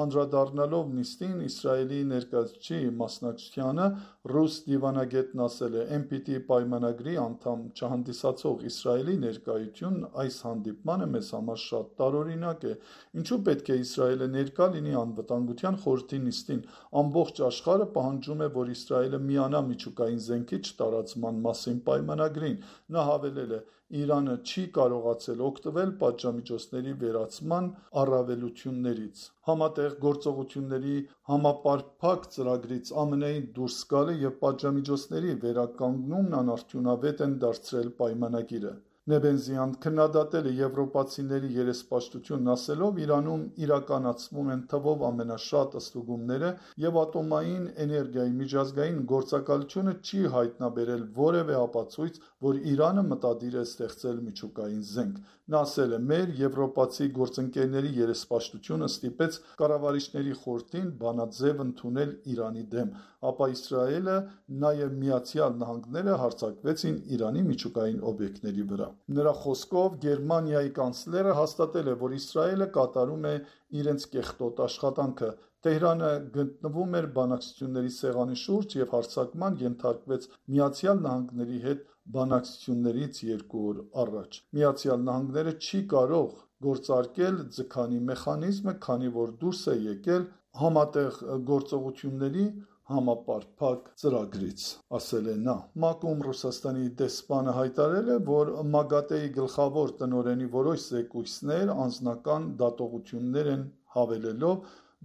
Speaker 4: անդրադառնալով նիստին Իսրայելի ներկայացուցիչի մասնակցությանը ռուս դիվանագետն ասել է, NPT պայմանագրի անդամ չհանդիսացող Իսրայելի ներկայությունն այս հանդիպմանը մեզ համար շատ տարօրինակ է։ Ինչու պետք է Իսրայելը ներկա լինի անվտանգության խորհրդի նիստին։ Ամբողջ աշխարհը պահանջում է, որ Իսրայելը միանա միջուկային զենքի չտարածման մասին պայմանագրին։ Նա հավելել է, Իրանը չի կարողացել օգտվել պատժամիջոցների վերացման առավելություններից։ Համատեղ գործողությունների համապարփակ ծրագրից ԱՄՆ-ի դուրս գալը եւ պատժամիջոցների վերականգնումն անարդյունավետ են դարձրել պայմանագիրը։ Նեբենզյան քննադատել է եվրոպացիների երեսպաշտությունն ասելով, Իրանում իրականացվում են թվով ամենաշատ ստուգումները եւ ատոմային էներգիայի միջազգային գործակալությունը չի հայտնաբերել որևէ ապացույց, որ Իրանը մտադիր է ստեղծել միջուկային զենք։ Նա ասել է, մեր եվրոպացի գործընկերների երեսպաշտությունը ստիպեց կառավարիչների խորհրդին բանաձև ընդունել Իրանի դեմ, ապա Իսրայելը նաեւ Միացյալ Նահանգները հարձակվեցին Իրանի միջուկային օբյեկտների վրա։ Նրա խոսքով Գերմանիայի կանցլերը հաստատել է, որ Իսրայելը կատարում է իրենց կեղտոտ աշխատանքը, Թեհրանը գտնվում էր բանակցությունների սեղանի շուրջ եւ հարձակման ենթարկվեց Միացյալ Նահանգների հետ բանակցություններից 2 օր առաջ։ Միացյալ Նահանգները չի կարող գործարկել ձգանի մեխանիզմը, քանի որ դուրս է եկել համատեղ գործողությունների համապարփակ ծրագրից, ասել է նա։ ՄԱԿ-ում Ռուսաստանի դեսպանը հայտարարել է, որ ՄԱԳԱՏԵ-ի գլխավոր տնօրենի որոշ զեկույցներ անձնական դատողություններ են, հավելելով.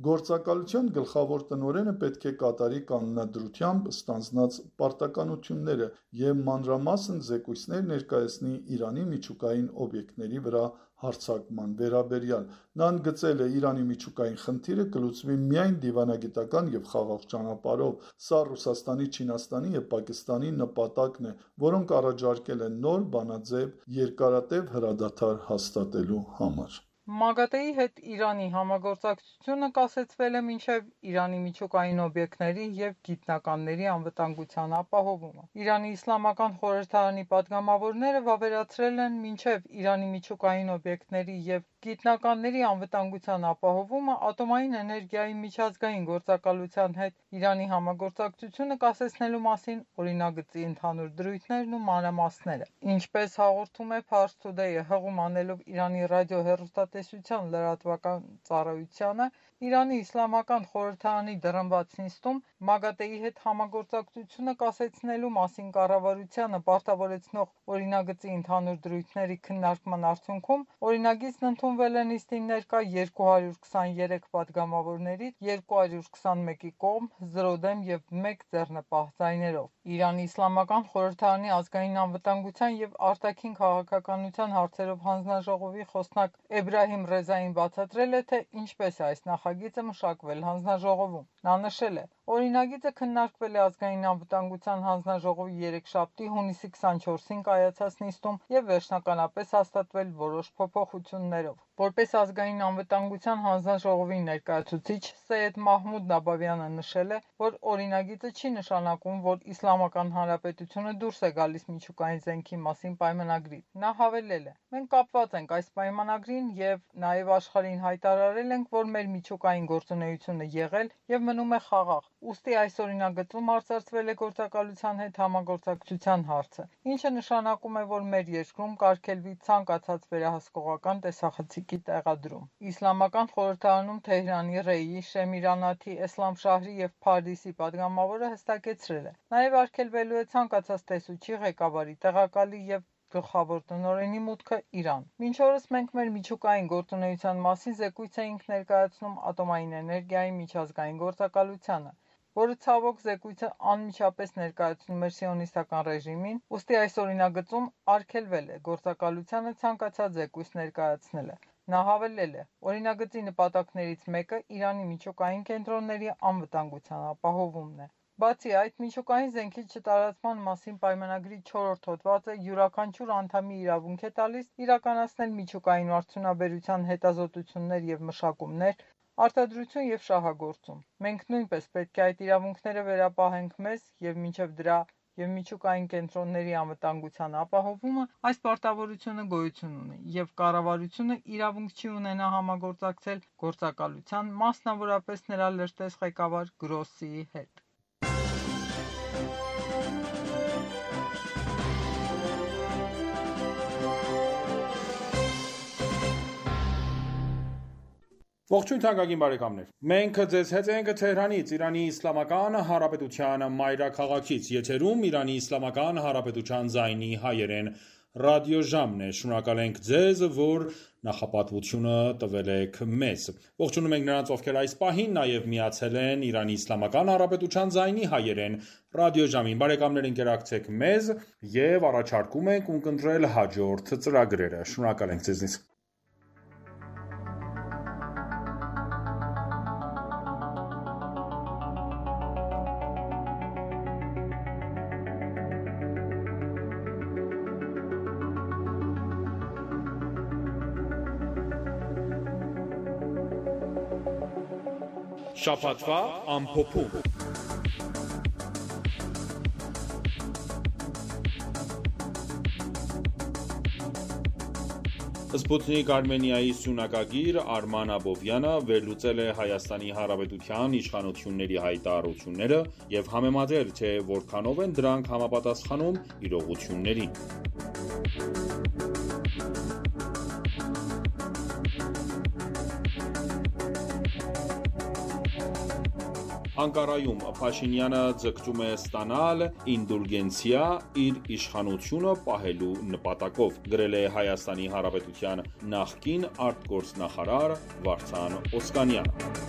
Speaker 4: Գործակալության գլխավոր տնօրենը պետք է կատարի կանոնադրությամբ ստանձնած պարտականությունները եւ մանրամասն զեկույցներ ներկայացնի Իրանի միջուկային օբյեկտների վրա հարձակման վերաբերյալ։ Նա ընդգծել է, Իրանի միջուկային խնդիրը կլուծվի միայն դիվանագիտական եւ խաղաղ ճանապարհով։ Սա Ռուսաստանի, Չինաստանի եւ Պակիստանի նպատակն է, որոնք առաջարկել են նոր բանաձև երկարատև հրադադար հաստատելու համար։
Speaker 7: ՄԱԳԱՏԵ-ի հետ Իրանի համագործակցությունը կասեցվել է մինչև Իրանի միջուկային օբյեկտների եւ գիտնականների անվտանգության ապահովումը։ Իրանի Իսլամական Խորհրդարանի պատգամավորները վավերացրել են մինչև Իրանի միջուկային օբյեկտների եւ գիտնականների անվտանգության ապահովումը ատոմային էներգիայի միջազգային գործակալության հետ Իրանի համագործակցությունը կասեցնելու մասին օրինագծի ընդհանուր դրույթներն ու մանրամասները։ Ինչպես հաղորդում է Pars Today-ը հղում անելով Իրանի ռադիոհեռուստատեսության լրատվական ծառայությանը, Իրանի Իսլամական Խորհրդարանի դռնբաց նիստում ՄԱԳԱՏԵ-ի հետ համագործակցությունը կասեցնելու մասին կառավարությանը պարտավորեցնող օրինագծի ընդհանուր դրույթների քննարկման արդյունքում օրինագիծն ընդունվել է նիստին ներկա 223 պատգամավորներից 221-ի կողմ, 0 դեմ եւ 1 ձեռնպահ ձայներով։ Իրանի Իսլամական Խորհրդարանի ազգային անվտանգության եւ արտաքին քաղաքականության հարցերով հանձնաժողովի խոսնակ Էբրահիմ Ռեզային բացատրել է, թե ինչպես է այս նախագիծը մշակվել հանձնաժողովում։ Նա նշել է. Օրինագիծը քննարկվել է ազգային անվտանգության հանձնաժողովի երեքշաբթի հունիսի 24-ին կայացած նիստում եւ վերջնականապես հաստատվել որոշ փոփոխություններով։ Որպես ազգային անվտանգության հանձնաժողովի ներկայացուցիչ Սեյեդ Մահմուդ Նաբավյանը նշել է, որ օրինագիծը չի նշանակում, որ Իսլամական Հանրապետությունը դուրս է գալիս միջուկային զենքի մասին պայմանագրից։ Նա հավելել է. Մենք կապված ենք այս պայմանագրին եւ նաեւ աշխարհին հայտարարել ենք, որ մեր միջուկային գործունեությունը եղել եւ մնում է խաղաղ։ Ուստի այս օրինագծում արծարծվել է գործակալության հետ համագործակցության հարցը, ինչը նշանակում է, որ մեր երկրում կարգելվի ցանկացած վերահսկողական տեսախցիկի տեղադրում։ Իսլամական Խորհրդարանում Թեհրանի Ռեյի, Շեմիրանաթի, Էսլամշահրի եւ Փարդիսի պատգամավորը հստակեցրել է. նաեւ արգելվելու է ցանկացած տեսուչի, ղեկավարի, տեղակալի եւ գլխավոր տնօրենի մուտքը Իրան։ Մինչ օրս մենք մեր միջուկային գործունեության մասին զեկույց էինք ներկայացնում ատոմային էներգիայի միջազգային գործակալությանը, որը ցավոք զեկույցը անմիջապես ներկայացնում էր սիոնիստական ռեժիմին, ուստի այս օրինագծում արգելվել է գործակալությանը ցանկացած զեկույց ներկայացնելը։ Նա հավելել է. օրինագծի նպատակներից մեկը Իրանի միջուկային կենտրոնների անվտանգության ապահովումն է։ Բացի այդ, միջուկային զենքի չտարածման մասին պայմանագրի 4-րդ հոդվածը յուրաքանչյուր անդամի իրավունք է տալիս իրականացնել միջուկային արդյունաբերության հետազոտություններ եւ մշակումներ, արտադրություն եւ շահագործում։ Մենք նույնպես պետք է այդ իրավունքները վերապահենք մեզ եւ մինչեւ դրա եւ միջուկային կենտրոնների անվտանգության ապահովումը այս պարտավորությունը գոյություն ունի եւ կառավարությունը իրավունք չի ունենա համագործակցել գործակալության, մասնավորապես նրա լրտես ղեկավար Գրոսիի հետ։
Speaker 1: Ողջույն թանկագին բարեկամներ։ Մենք ձեզ հետ ենք Թեհրանից, Իրանի Իսլամական Հանրապետության մայրաքաղաքից, եթերում Իրանի Իսլամական Հանրապետության ձայնի հայերեն ռադիոժամն է։ Շնորհակալ ենք ձեզ, որ նախապատվությունը տվել եք մեզ։ Ողջունում ենք նրանց, ովքեր այս պահին նաև միացել են Իրանի Իսլամական Հանրապետության ձայնի հայերեն ռադիոժամին։ Բարեկամներ, ընկերակցեք մեզ եւ առաջարկում ենք ունկնդրել հաջորդ ծրագրերը։ Շնորհակալ ենք ձեզնից։ Շաբաթվա ամփոփում։ Սպուտնիկ Արմենիայի սյունակագիր Արման Աբովյանը վերլուծել է Հայաստանի Հանրապետության իշխանությունների հայտարարությունները և համեմատել, թե որքանով են դրանք համապատասխանում իրողություններին։ Անկարայում Փաշինյանը ձգտում է ստանալ ինդուլգենցիա իր իշխանությունը պահելու նպատակով, գրել է Հայաստանի Հանրապետության նախկին արտգործնախարար Վարդան Օսկանյանը։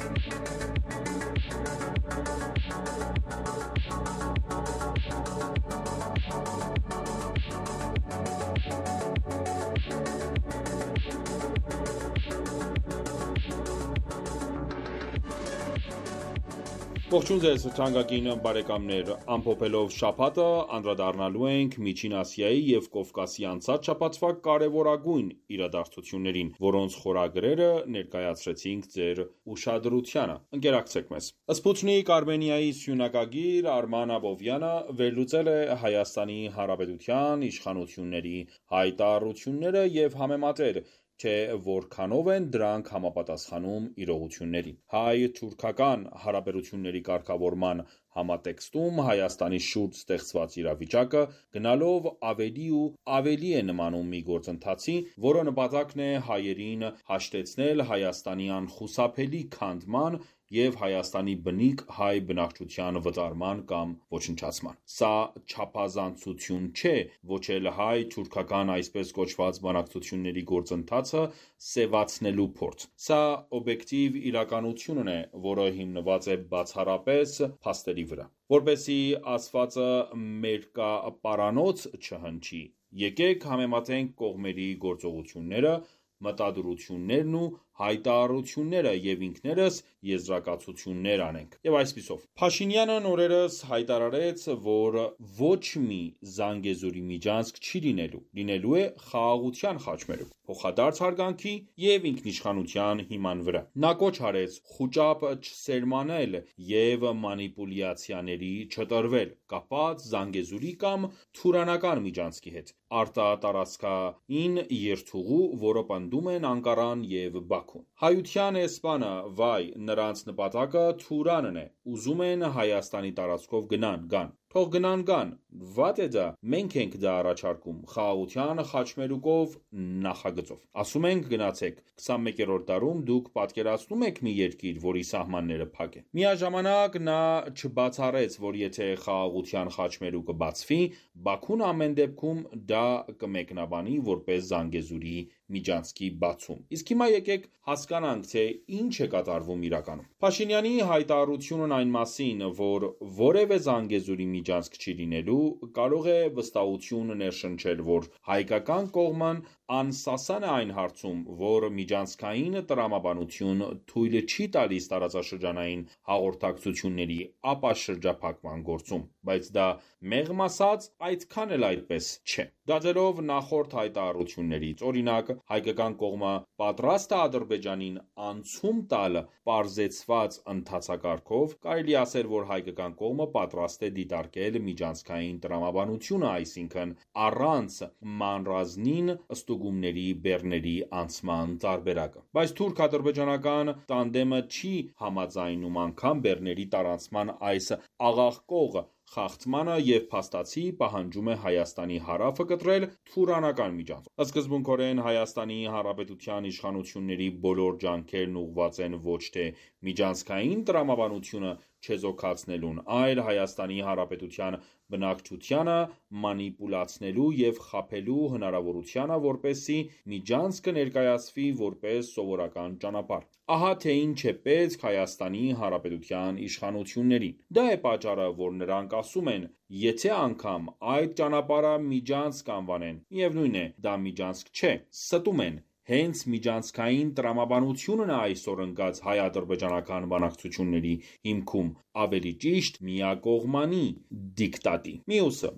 Speaker 1: Ողջույն ձեզ թանկագին բարեկամներ, ամփոփելով շաբաթը անդրադառնալու ենք Միջին Ասիայի և Կովկասի անցած շաբաթվա կարևորագույն իրադարձություններին, որոնց խորագրերը ներկայացրեցինք ձեր ուշադրությանը։ Ընկերակցեք մեզ։ Սպուտնիկ Արմենիայի սյունակագիր Արման Աբովյանը վերլուծել է Հայաստանի Հանրապետության իշխանությունների հայտարարությունները և համեմատել, թե որքանով են դրանք համապատասխանում իրողություններին։ Հայ-թուրքական հարաբերությունների կարգավորման համատեքստում Հայաստանի շուրջ ստեղծված իրավիճակը գնալով ավելի ու ավելի է նմանում մի գործընթացի, որը նպատակն է հայերին հաշտեցնել Հայաստանի անխուսափելի քանդման և Հայաստանի բնիկ հայ բնակչության վտարման կամ ոչնչացման։ Սա չափազանցություն չէ, ոչ էլ հայ-թուրքական այսպես կոչված բանակցությունների գործընթացը սևացնելու փորձ։ Սա օբյեկտիվ իրականությունն է, որը հիմնված է բացառապես փաստերի վրա։ Որպեսզի ասվածը մերկապարանոց չհնչի, եկեք համեմատենք կողմերի գործողությունները, մտադրություններն ու հայտարարությունները և ինքներս եզրակացություններ անենք։ Եվ այսպիսով, Փաշինյանն օրերս հայտարարեց, որ ոչ մի Զանգեզուրի միջանցք չի լինելու է խաղաղության խաչմերուկ, փոխադարձ հարգանքի և ինքնիշխանության հիման վրա։ Նա կոչ արեց խուճապ չսերմանել և մանիպուլյացիաների չտրվել, կապված Զանգեզուրի կամ Թուրանական միջանցքի հետ, արտատարածքային երթուղու, որը պնդում են Անկարան և Բաքուն։ Հայության էսպանը, վայ, նրանց նպատակը Թուրանն է, ուզում են Հայաստանի տարածքով գան, թող գան, վատ է դա, մենք ենք դա առաջարկում, խաղաղության խաչմերուկով նախագծով։ Ասում ենք գնացեք, 21-րդ դարում դուք պատկերացնում եք մի երկիր, որի սահմանները փակ են։ Միաժամանակ նա չբացառեց, որ եթե խաղաղության խաչմերուկը բացվի, Բաքուն ամեն դեպքում դա կմեկնաբանի որպես Զանգեզուրի միջանցքի բացում։ Իսկ հիմա եկեք հասկանանք, թե ինչ է կատարվում իրականում։ Փաշինյանի հայտարարությունն այն մասին, որ որևէ Զանգեզուրի միջանցք չի լինելու, կարող է վստահություն ներշնչել, որ հայկական կողմն անսասան է այն հարցում, որ միջանցքային տրամաբանություն թույլ չի տալիս տարածաշրջանային հաղորդակցությունների ապաշրջափակման գործում, բայց դա մեղմ ասած այդքան էլ այդպես չէ։ Դատելով նախորդ հայտարարություններից, օրինակ, հայկական կողմը պատրաստ է Ադրբեջանին անցում տալ պարզեցված ընթացակարգով, կարելի ասել, որ հայկական կողմը պատրաստ է դիտարկել միջանցքային տրամաբանությունը, այսինքն առանց մանրազնին ստուգումների բեռների անցման տարբերակը։ Բայց թուրք-ադրբեջանական տանդեմը չի համաձայնում անգամ բեռների տարանցման այս աղաղկող խախտմանը և փաստացի պահանջում է Հայաստանի հարավը կտրել Թուրանական միջանցքով։ Սկզբունքորեն Հայաստանի Հանրապետության իշխանությունների բոլոր ջանքերն ուղղված են ոչ թե միջանցքային տրամաբանությունը չեզոքացնելուն, այլ Հայաստանի Հանրապետության բնակչությանը մանիպուլացնելու և խաբելու հնարավորությանը, որպեսզի միջանցքը ներկայացվի որպես սովորական ճանապարհ։ Ահա թե ինչ է պետք Հայաստանի Հանրապետության իշխանություններին։ Դա է պատճառը, որ նրանք ասում են, եթե անգամ այդ ճանապարհը միջանցք անվանեն, միևնույն է, դա միջանցք չէ, ստում են։ Հենց միջանցքային տրամաբանությունն է այսօր ընկած հայ-ադրբեջանական բանակցությունների հիմքում, ավելի ճիշտ միակողմանի դիկտատի։ Մյուսը,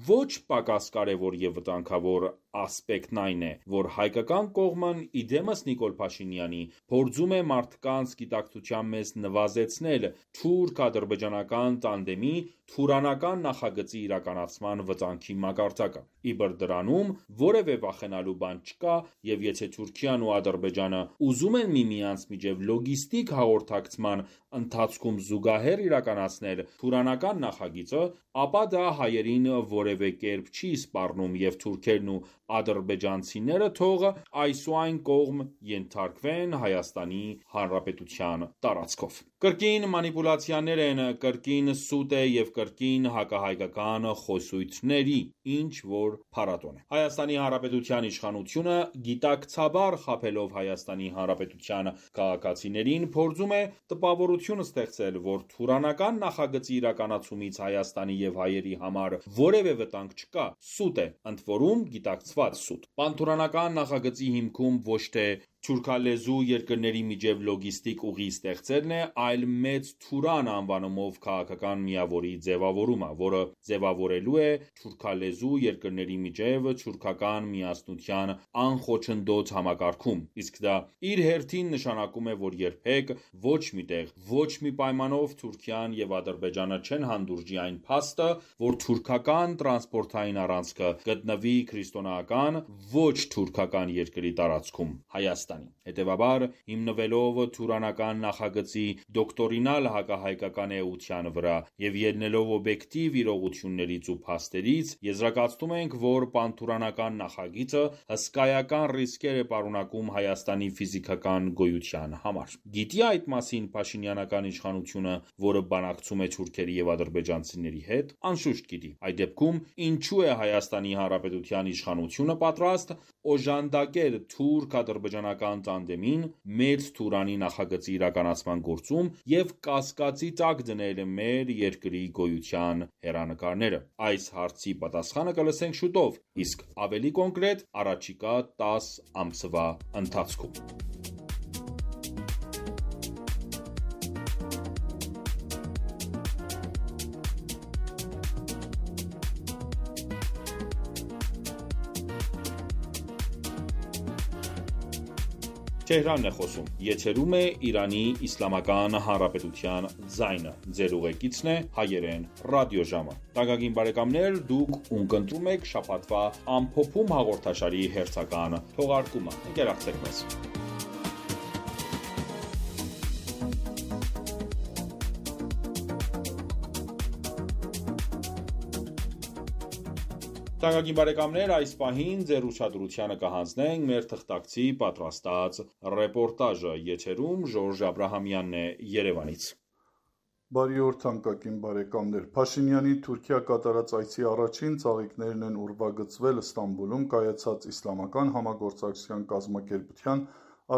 Speaker 1: ոչ պակաս կարևոր և վտանգավոր ասպեկտն այն է, որ հայկական կողմն իդեմս Նիկոլ Փաշինյանի փորձում է մարդկանց գիտակցության մեջ նվազեցնել թուրք-ադրբեջանական տանդեմի Թուրանական նախագծի իրականացման վտանգի մակարդակը։ Իբր դրանում որևէ վախենալու բան չկա, և եթե թե Թուրքիան ու Ադրբեջանը ուզում են միմյանց միջև լոգիստիկ հաղորդակցման ընթացքում զուգահեռ իրականացնել թուրանական նախագիծը, ապա դա հայերին որևէ կերպ չի սպառնում և թուրքերն ու ադրբեջանցիները թող այսուայն կողմ ենթարկվեն Հայաստանի Հանրապետության տարածքով։ Կրկին մանիպուլյացիաներ են, կրկին սուտ է և կրկին հակահայկական խոսույթների ինչ որ փառատոն է։ Հայաստանի Հանրապետության իշխանությունը գիտակցաբար խաբելով Հայաստանի Հանրապետության քաղաքացիներին փորձում է տպավորություն ստեղծել, որ թուրանական նախագծի իրականացումից Հայաստանի և հայերի համար որևէ վտանգ չկա, սուտ է, ընդ որում գիտակցված սուտ։ Պանթուրանական նախագծի հիմքում ոչ թե թուրքալեզու երկրների միջև լոգիստիկ ուղի ստեղծելն է, այլ մեծ Թուրան անվանումով քաղաքական միավորի ձևավորումը, որը ձևավորելու է թուրքալեզու երկրների միջև թուրքական միասնության անխոչնդոտ համակարգում, իսկ դա իր հերթին նշանակում է, որ երբեք ոչ մի տեղ, ոչ մի պայմանով Թուրքիան և Ադրբեջանը չեն հանդուրժի այն փաստը, որ թուրքական տրանսպորտային առանցքը գտնվի քրիստոնեական ոչ թուրքական երկրի տարածքում՝ Հայաստանի։ Հետևաբար, հիմնվելով թուրանական նախագծի դոկտրինալ հակահայկական էության վրա և ելնելով օբյեկտիվ իրողություններից ու փաստերից, եզրակացնում ենք, որ պանթուրանական նախագիծը հսկայական ռիսկեր է պարունակում Հայաստանի ֆիզիկական գոյության համար։ Գիտի այդ մասին փաշինյանական իշխանությունը, որը բանակցում է թուրքերի և ադրբեջանցիների հետ, անշուշտ գիտի։ Այդ դեպքում ինչու է Հայաստանի Հանրապետության իշխանությունը պատրաստ օժանդակել թուրք-ադրբեջանական տանդեմին մեծ Թուրանի նախագծի իրականացման գործում և կասկածի տակ դնել մեր երկրի գոյության հեռանկարները։ Այս հարցի պատասխանը կլսենք շուտով, իսկ ավելի կոնկրետ առաջիկա 10 ամսվա ընթացքում։ Թեհրանն է խոսում, եթերում է Իրանի Իսլամական Հանրապետության ձայնը, ձեր ուղեկիցն է հայերեն ռադիոժամը։ Տակագին բարեկամներ, դուք ունկնդրում եք շաբաթվա ամփոփում հաղորդաշարի հերթական թողարկումը։ Ընկերակցեք մեզ։ Տակագին բարեկամներ, այս պահին ձեր ուշադրությանը կհանձնենք մեր թղթակցի պատրաստած ռեպորտաժը, եթերում Ժորժ Աբրահամյանն է Երևանից։
Speaker 4: Բարի օր թանկագին բարեկամներ, Փաշինյանի Թուրքիա կատարած այցի առաջին ծաղիկներն են ուրվագծվել Ստամբուլում կայացած Իսլամական համագործակցության կազմակերպության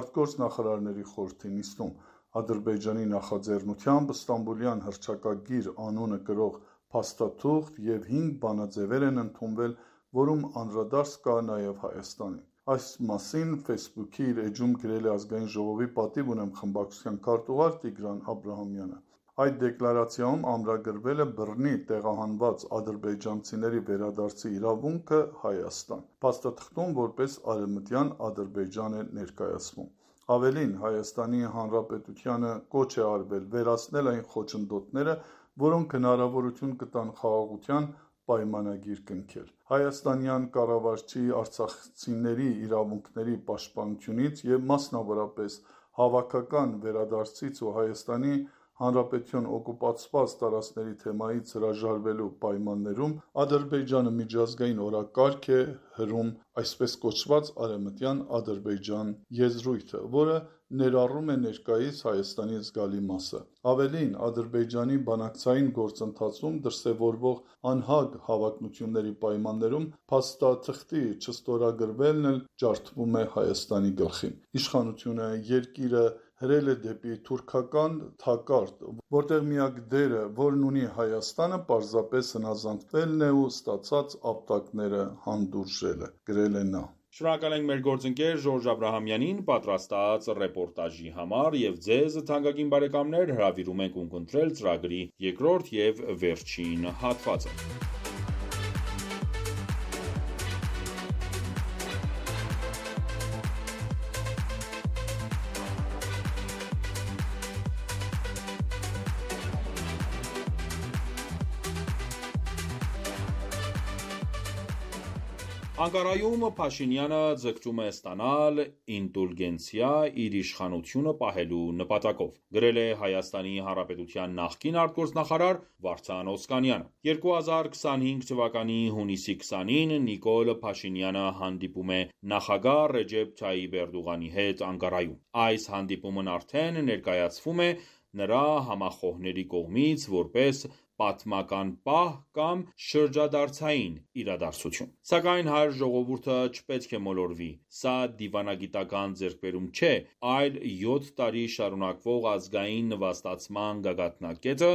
Speaker 4: արտգործ նախարարների խորհրդի նիստում։ Ադրբեջանի նախաձեռնությամբ Ստամբուլյան հռչակագիր անունը կրող փաստաթուղթ և 5 բանաձևեր են ընդունվել, որում անդրադարձ կա նաև Հայաստանին։ Այս մասին Facebook-ի իր էջում գրել է Ազգային ժողովի պատիվ ունեմ խմբակցության քարտուղար Տիգրան Աբրահամյանը։ Այդ դեկլարացիայում ամրագրվել է բռնի տեղահանված ադրբեջանցիների վերադարձի իրավունքը Հայաստան։ Փաստաթղթում որպես Արևմտյան Ադրբեջան է ներկայացվում։ Ավելին, Հայաստանի Հանրապետությանը կոչ է արվել վերացնել այն խոչընդոտները, որոնք հնարավորություն կտան խաղաղության պայմանագիր կնքել։ Հայաստանյան կառավարչի արցախցիների իրավունքների պաշտպանությունից և մասնավորապես հավաքական վերադարձից ու Հայաստանի Հանրապետության օկուպացված տարածքների թեմայից հրաժարվելու պայմաններում Ադրբեջանը միջազգային օրակարգ է հրում այսպես կոչված Արևմտյան Ադրբեջան եզրույթը, որը ներառում է ներկայիս Հայաստանի զգալի մասը։ Ավելին, Ադրբեջանի բանակցային գործընթացում դրսևորվող անհագ հավակնությունների պայմաններում փաստաթղթի չստորագրվելն էլ ջարդվում է Հայաստանի գլխին։ Իշխանությունը երկիրը հրել է դեպի թուրքական թակարդ, որտեղ միակ դերը, որն ունի Հայաստանը, պարզապես հնազանդվելն է ու ստացած ապտակները հանդուրժելը, գրել է նա։
Speaker 1: Շնորհակալ ենք մեր գործընկեր Ժորժ Աբրահամյանին պատրաստած ռեպորտաժի համար և ձեզ թանկագին բարեկամներ հրավիրում ենք ունկնդրել ծրագրի երկրորդ և վերջին հատվածը։ Անկարայում Փաշինյանը ձգտում է ստանալ ինդուլգենցիա իր իշխանությունը պահելու նպատակով, գրել է Հայաստանի Հանրապետության նախկին արտգործնախարար Վարդան Օսկանյանը։ 2025 թվականի հունիսի 20-ին Նիկոլ Փաշինյանը հանդիպում է նախագահ Ռեջեփ Թայիփ Էրդողանի հետ Անկարայում։ Այս հանդիպումն արդեն ներկայացվում է նրա համախոհների կողմից որպես պատմական պահ կամ շրջադարձային իրադարձություն։ Սակայն հայ ժողովուրդը չպետք է մոլորվի, սա դիվանագիտական ձեռքբերում չէ, այլ 7 տարի շարունակվող ազգային նվաստացման գագաթնակետը,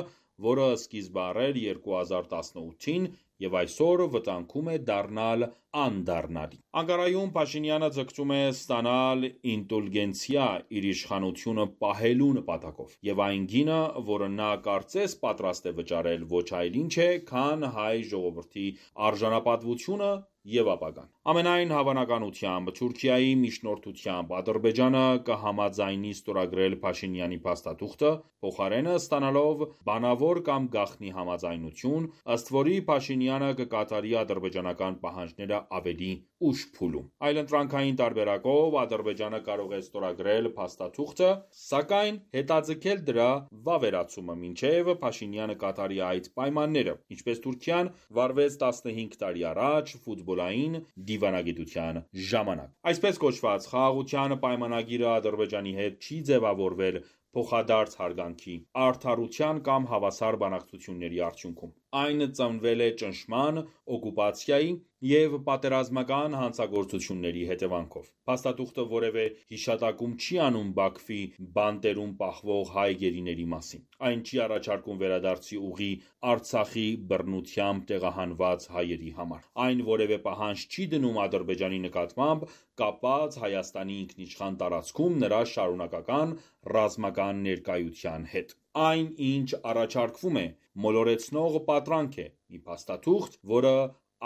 Speaker 1: որը սկիզբ է առել 2018-ին և այսօր վտանգում է դառնալ անդառնալի։ Անկարայում Փաշինյանը ձգտում է ստանալ ինդուլգենցիա իր իշխանությունը պահելու նպատակով, և այն գինը, որը նա կարծես պատրաստ է վճարել, ոչ այլ ինչ է, քան հայ ժողովրդի արժանապատվությունը և ապագան։ Ամենայն հավանականությամբ Թուրքիայի միջնորդությամբ Ադրբեջանը կհամաձայնի ստորագրել Փաշինյանի փաստաթուղթը, փոխարենը ստանալով բանավոր կամ գաղտնի համաձայնություն, ըստ որի Փաշինյանը կկատարի ադրբեջանական պահանջները ավելի ուշ փուլում։ Այլընտրանքային տարբերակով Ադրբեջանը կարող է ստորագրել փաստաթուղթը, սակայն հետաձգել դրա վավերացումը, մինչև Փաշինյանը կատարի այդ պայմանները, ինչպես Թուրքիան վարվեց 15 տարի առաջ ֆուտբոլային դիվանագիտության ժամանակ։ Այսպես կոչված խաղաղության պայմանագիրը Ադրբեջանի հետ չի ձևավորվել փոխադարձ հարգանքի, արդարության կամ հավասար բանակցությունների արդյունքում։ Այն ծնվել է ճնշման, օկուպացիայի և պատերազմական հանցագործությունների հետևանքով։ Փաստաթուղթը որևէ հիշատակում չի անում Բաքվի բանտերում պահվող հայ գերիների մասին։ Այն չի առաջարկում վերադարձի ուղի Արցախի բռնությամբ տեղահանված հայերի համար։ Այն որևէ պահանջ չի դնում Ադրբեջանի նկատմամբ կապված Հայաստանի ինքնիշխան տարածքում նրա շարունակական ռազմական ներկայության հետ։ Այն, ինչ առաջարկվում է, մոլորեցնող պատրանք է, մի փաստաթուղթ, որը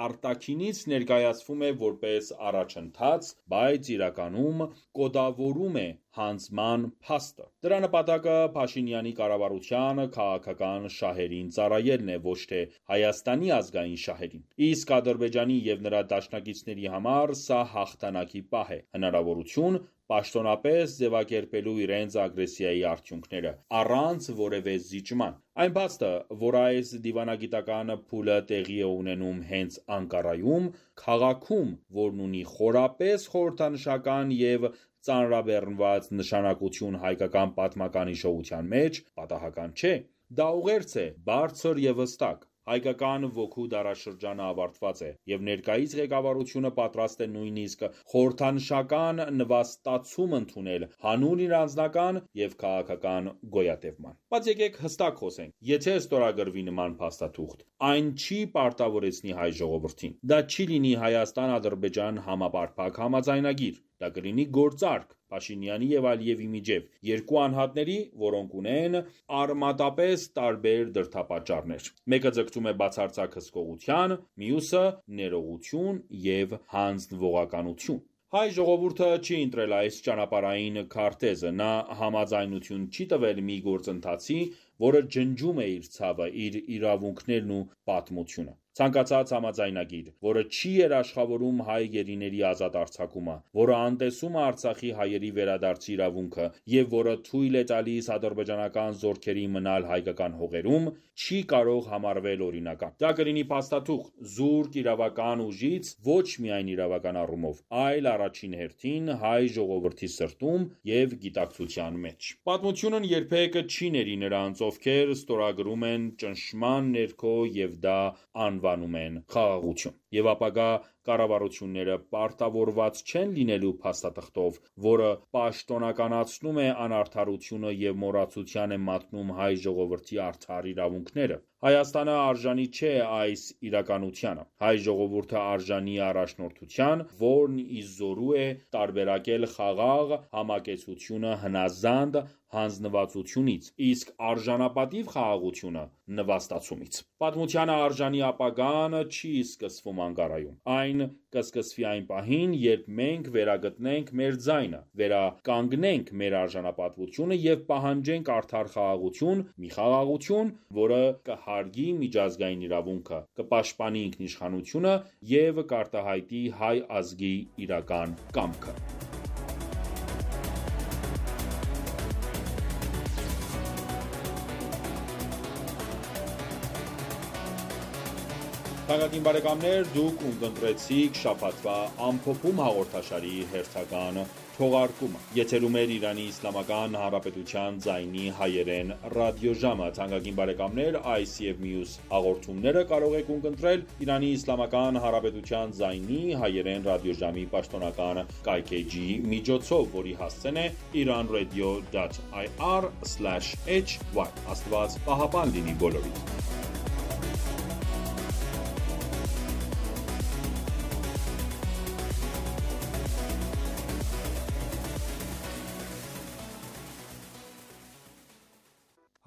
Speaker 1: արտաքինից ներկայացվում է որպես առաջընթաց, բայց իրականում կոդավորում է հանձնման փաստը։ Դրա նպատակը Փաշինյանի կառավարության քաղաքական շահերին ծառայելն է, ոչ թե Հայաստանի ազգային շահերին։ Իսկ Ադրբեջանի և նրա դաշնակիցների համար սա հաղթանակի պահ է, հնարավորություն պաշտոնապես ձևակերպելու իրենց ագրեսիայի արդյունքները, առանց որևէ զիջման։ Այն փաստը, որ այս դիվանագիտական փուլը տեղի է ունենում հենց Անկարայում, քաղաքում, որն ունի խորապես խորհրդանշական և ծանրաբեռնված նշանակություն հայկական պատմական հիշողության մեջ, պատահական չէ։ Դա ուղերձ է, բարձր և հստակ։ Հայկական ոգու դարաշրջանը ավարտված է, և ներկայիս ղեկավարությունը պատրաստ է նույնիսկ խորհրդանշական նվաստացում ընդունել հանուն իր անձնական և քաղաքական գոյատևման։ Բայց եկեք հստակ խոսենք, եթե ստորագրվի նման փաստաթուղթ, այն չի պարտավորեցնի հայ ժողովրդին։ Դա չի լինի Հայաստան-Ադրբեջան համապարփակ համաձայնագիր։ Դա կլինի գործարք Փաշինյանի և Ալիևի միջև, երկու անհատների, որոնք ունեն արմատապես տարբեր դրդապատճառներ։ Մեկը ձգտում է բացարձակ հսկողության, մյուսը՝ ներողություն և հանձնվողականություն։ Հայ ժողովուրդը չի ընտրել այս ճանապարհային քարտեզը, նա համաձայնություն չի տվել մի գործընթացի, որը ջնջում է իր ցավը, իր իրավունքներն ու պատմությունը։ Ցանկացած համաձայնագիր, որը չի երաշխավորում հայ գերիների ազատ արձակումը, որը անտեսում է Արցախի հայերի վերադարձի իրավունքը և որը թույլ է տալիս ադրբեջանական զորքերի մնալ հայկական հողերում, չի կարող համարվել օրինական։ Դա կլինի փաստաթուղթ, զուրկ իրավական ուժից ոչ միայն իրավական առումով, այլ առաջին հերթին հայ ժողովրդի սրտում և գիտակցության մեջ։ Պատմությունն երբեք չի ների նրանց, ովքեր ստորագրում են ճնշման ներքո և դա անվանում են խաղաղություն։ Եվ ապագա կառավարությունները պարտավորված չեն լինելու փաստաթղթով, որը պաշտոնականացնում է անարդարությունը և մոռացության է մատնում հայ ժողովրդի արդար իրավունքները։ Հայաստանը արժանի չէ այս իրականությանը։ Հայ ժողովուրդը արժանի է առաջնորդության, որն ի զորու է տարբերակել խաղաղ համակեցությունը հնազանդ հանձնվածությունից, իսկ արժանապատիվ խաղաղությունը նվաստացումից։ Պատմությանը արժանի ապագան չի սկսվում մանգարայում։ Այն կսկսվի այն պահին, երբ մենք վերագտնենք մեր ձայնը, վերականգնենք մեր արժանապատվությունը եւ պահանջենք արդար խաղաղություն, մի խաղաղություն, որը կհարգի միջազգային իրավունքը, կպաշտպանի ինքնիշխանությունը եւ կարտահայտի հայ ազգի իրական կամքը։ Թանկագին բարեկամներ, դուք ունկնդրեցիք շաբաթվա ամփոփում հաղորդաշարի հերթական թողարկումը։ Եթերում է Իրանի Իսլամական Հանրապետության ձայնի հայերեն ռադիոժամը։ Թանկագին բարեկամներ, այս եւ մյուս հաղորդումները կարող եք ունկնդրել Իրանի Իսլամական Հանրապետության ձայնի հայերեն ռադիոժամի պաշտոնական կայքեջի միջոցով, որի հասցեն է iranradio.ir/hy։ Աստված պահապան լինի բոլորիդ։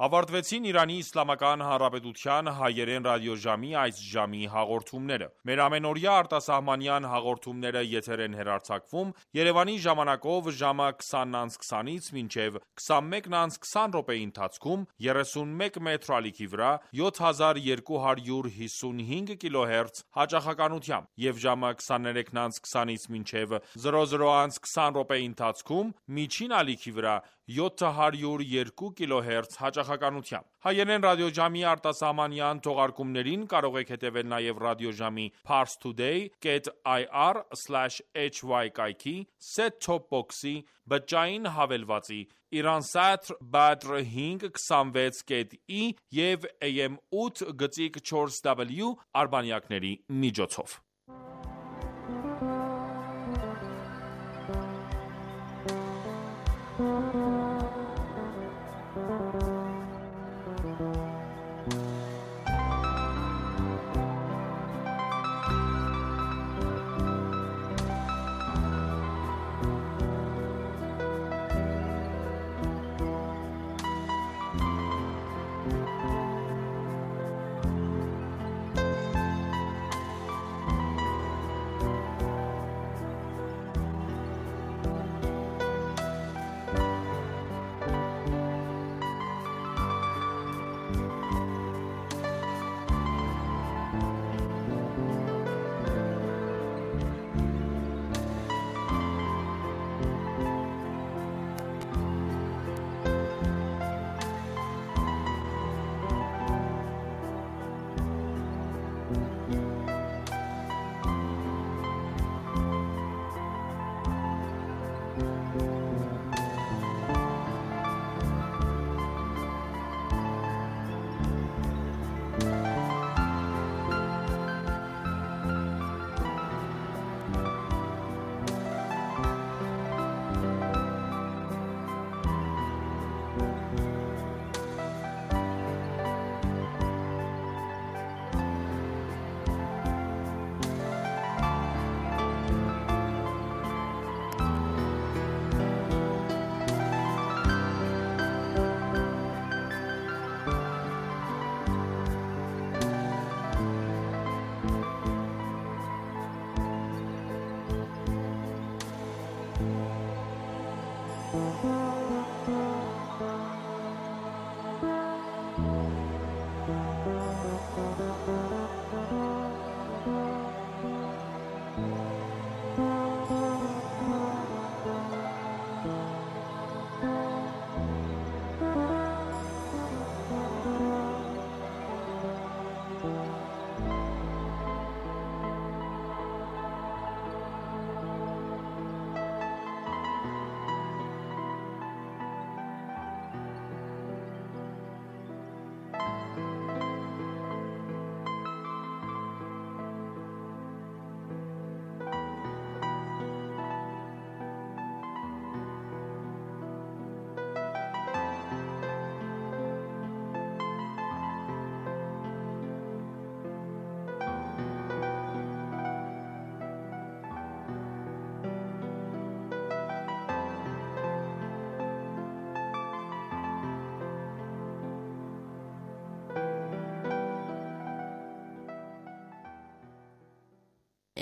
Speaker 1: Ավարտվեցին Իրանի Իսլամական Հանրապետության հայերեն ռադիոժամի այս ժամի հաղորդումները։ Մեր ամենօրյա արտասահմանյան հաղորդումները եթեր են հեռարձակվում Երևանի ժամանակով ժամը 20:20-ից մինչև 21:20 րոպեի ընթացքում 31 մետրի ալիքի վրա 7255 կիլոհերց հաճախականությամբ եւ ժամը 23:20-ից մինչև 00:20 րոպեի ընթացքում միջին ալիքի վրա 702 կիլոհերց հաճախականությամբ։ Հայերեն ռադիոժամի արտասահմանյան թողարկումներին կարող եք հետևել նաև ռադիոժամի parstoday.ir/hy կայքի, set-top box-ի, բջջային հավելվածի, Iransat Badr 526.i եւ AM 8.4W արբանյակների միջոցով։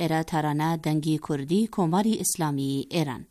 Speaker 8: էրա թարանա դանգի քուրդի կոմարի իսլամի էրան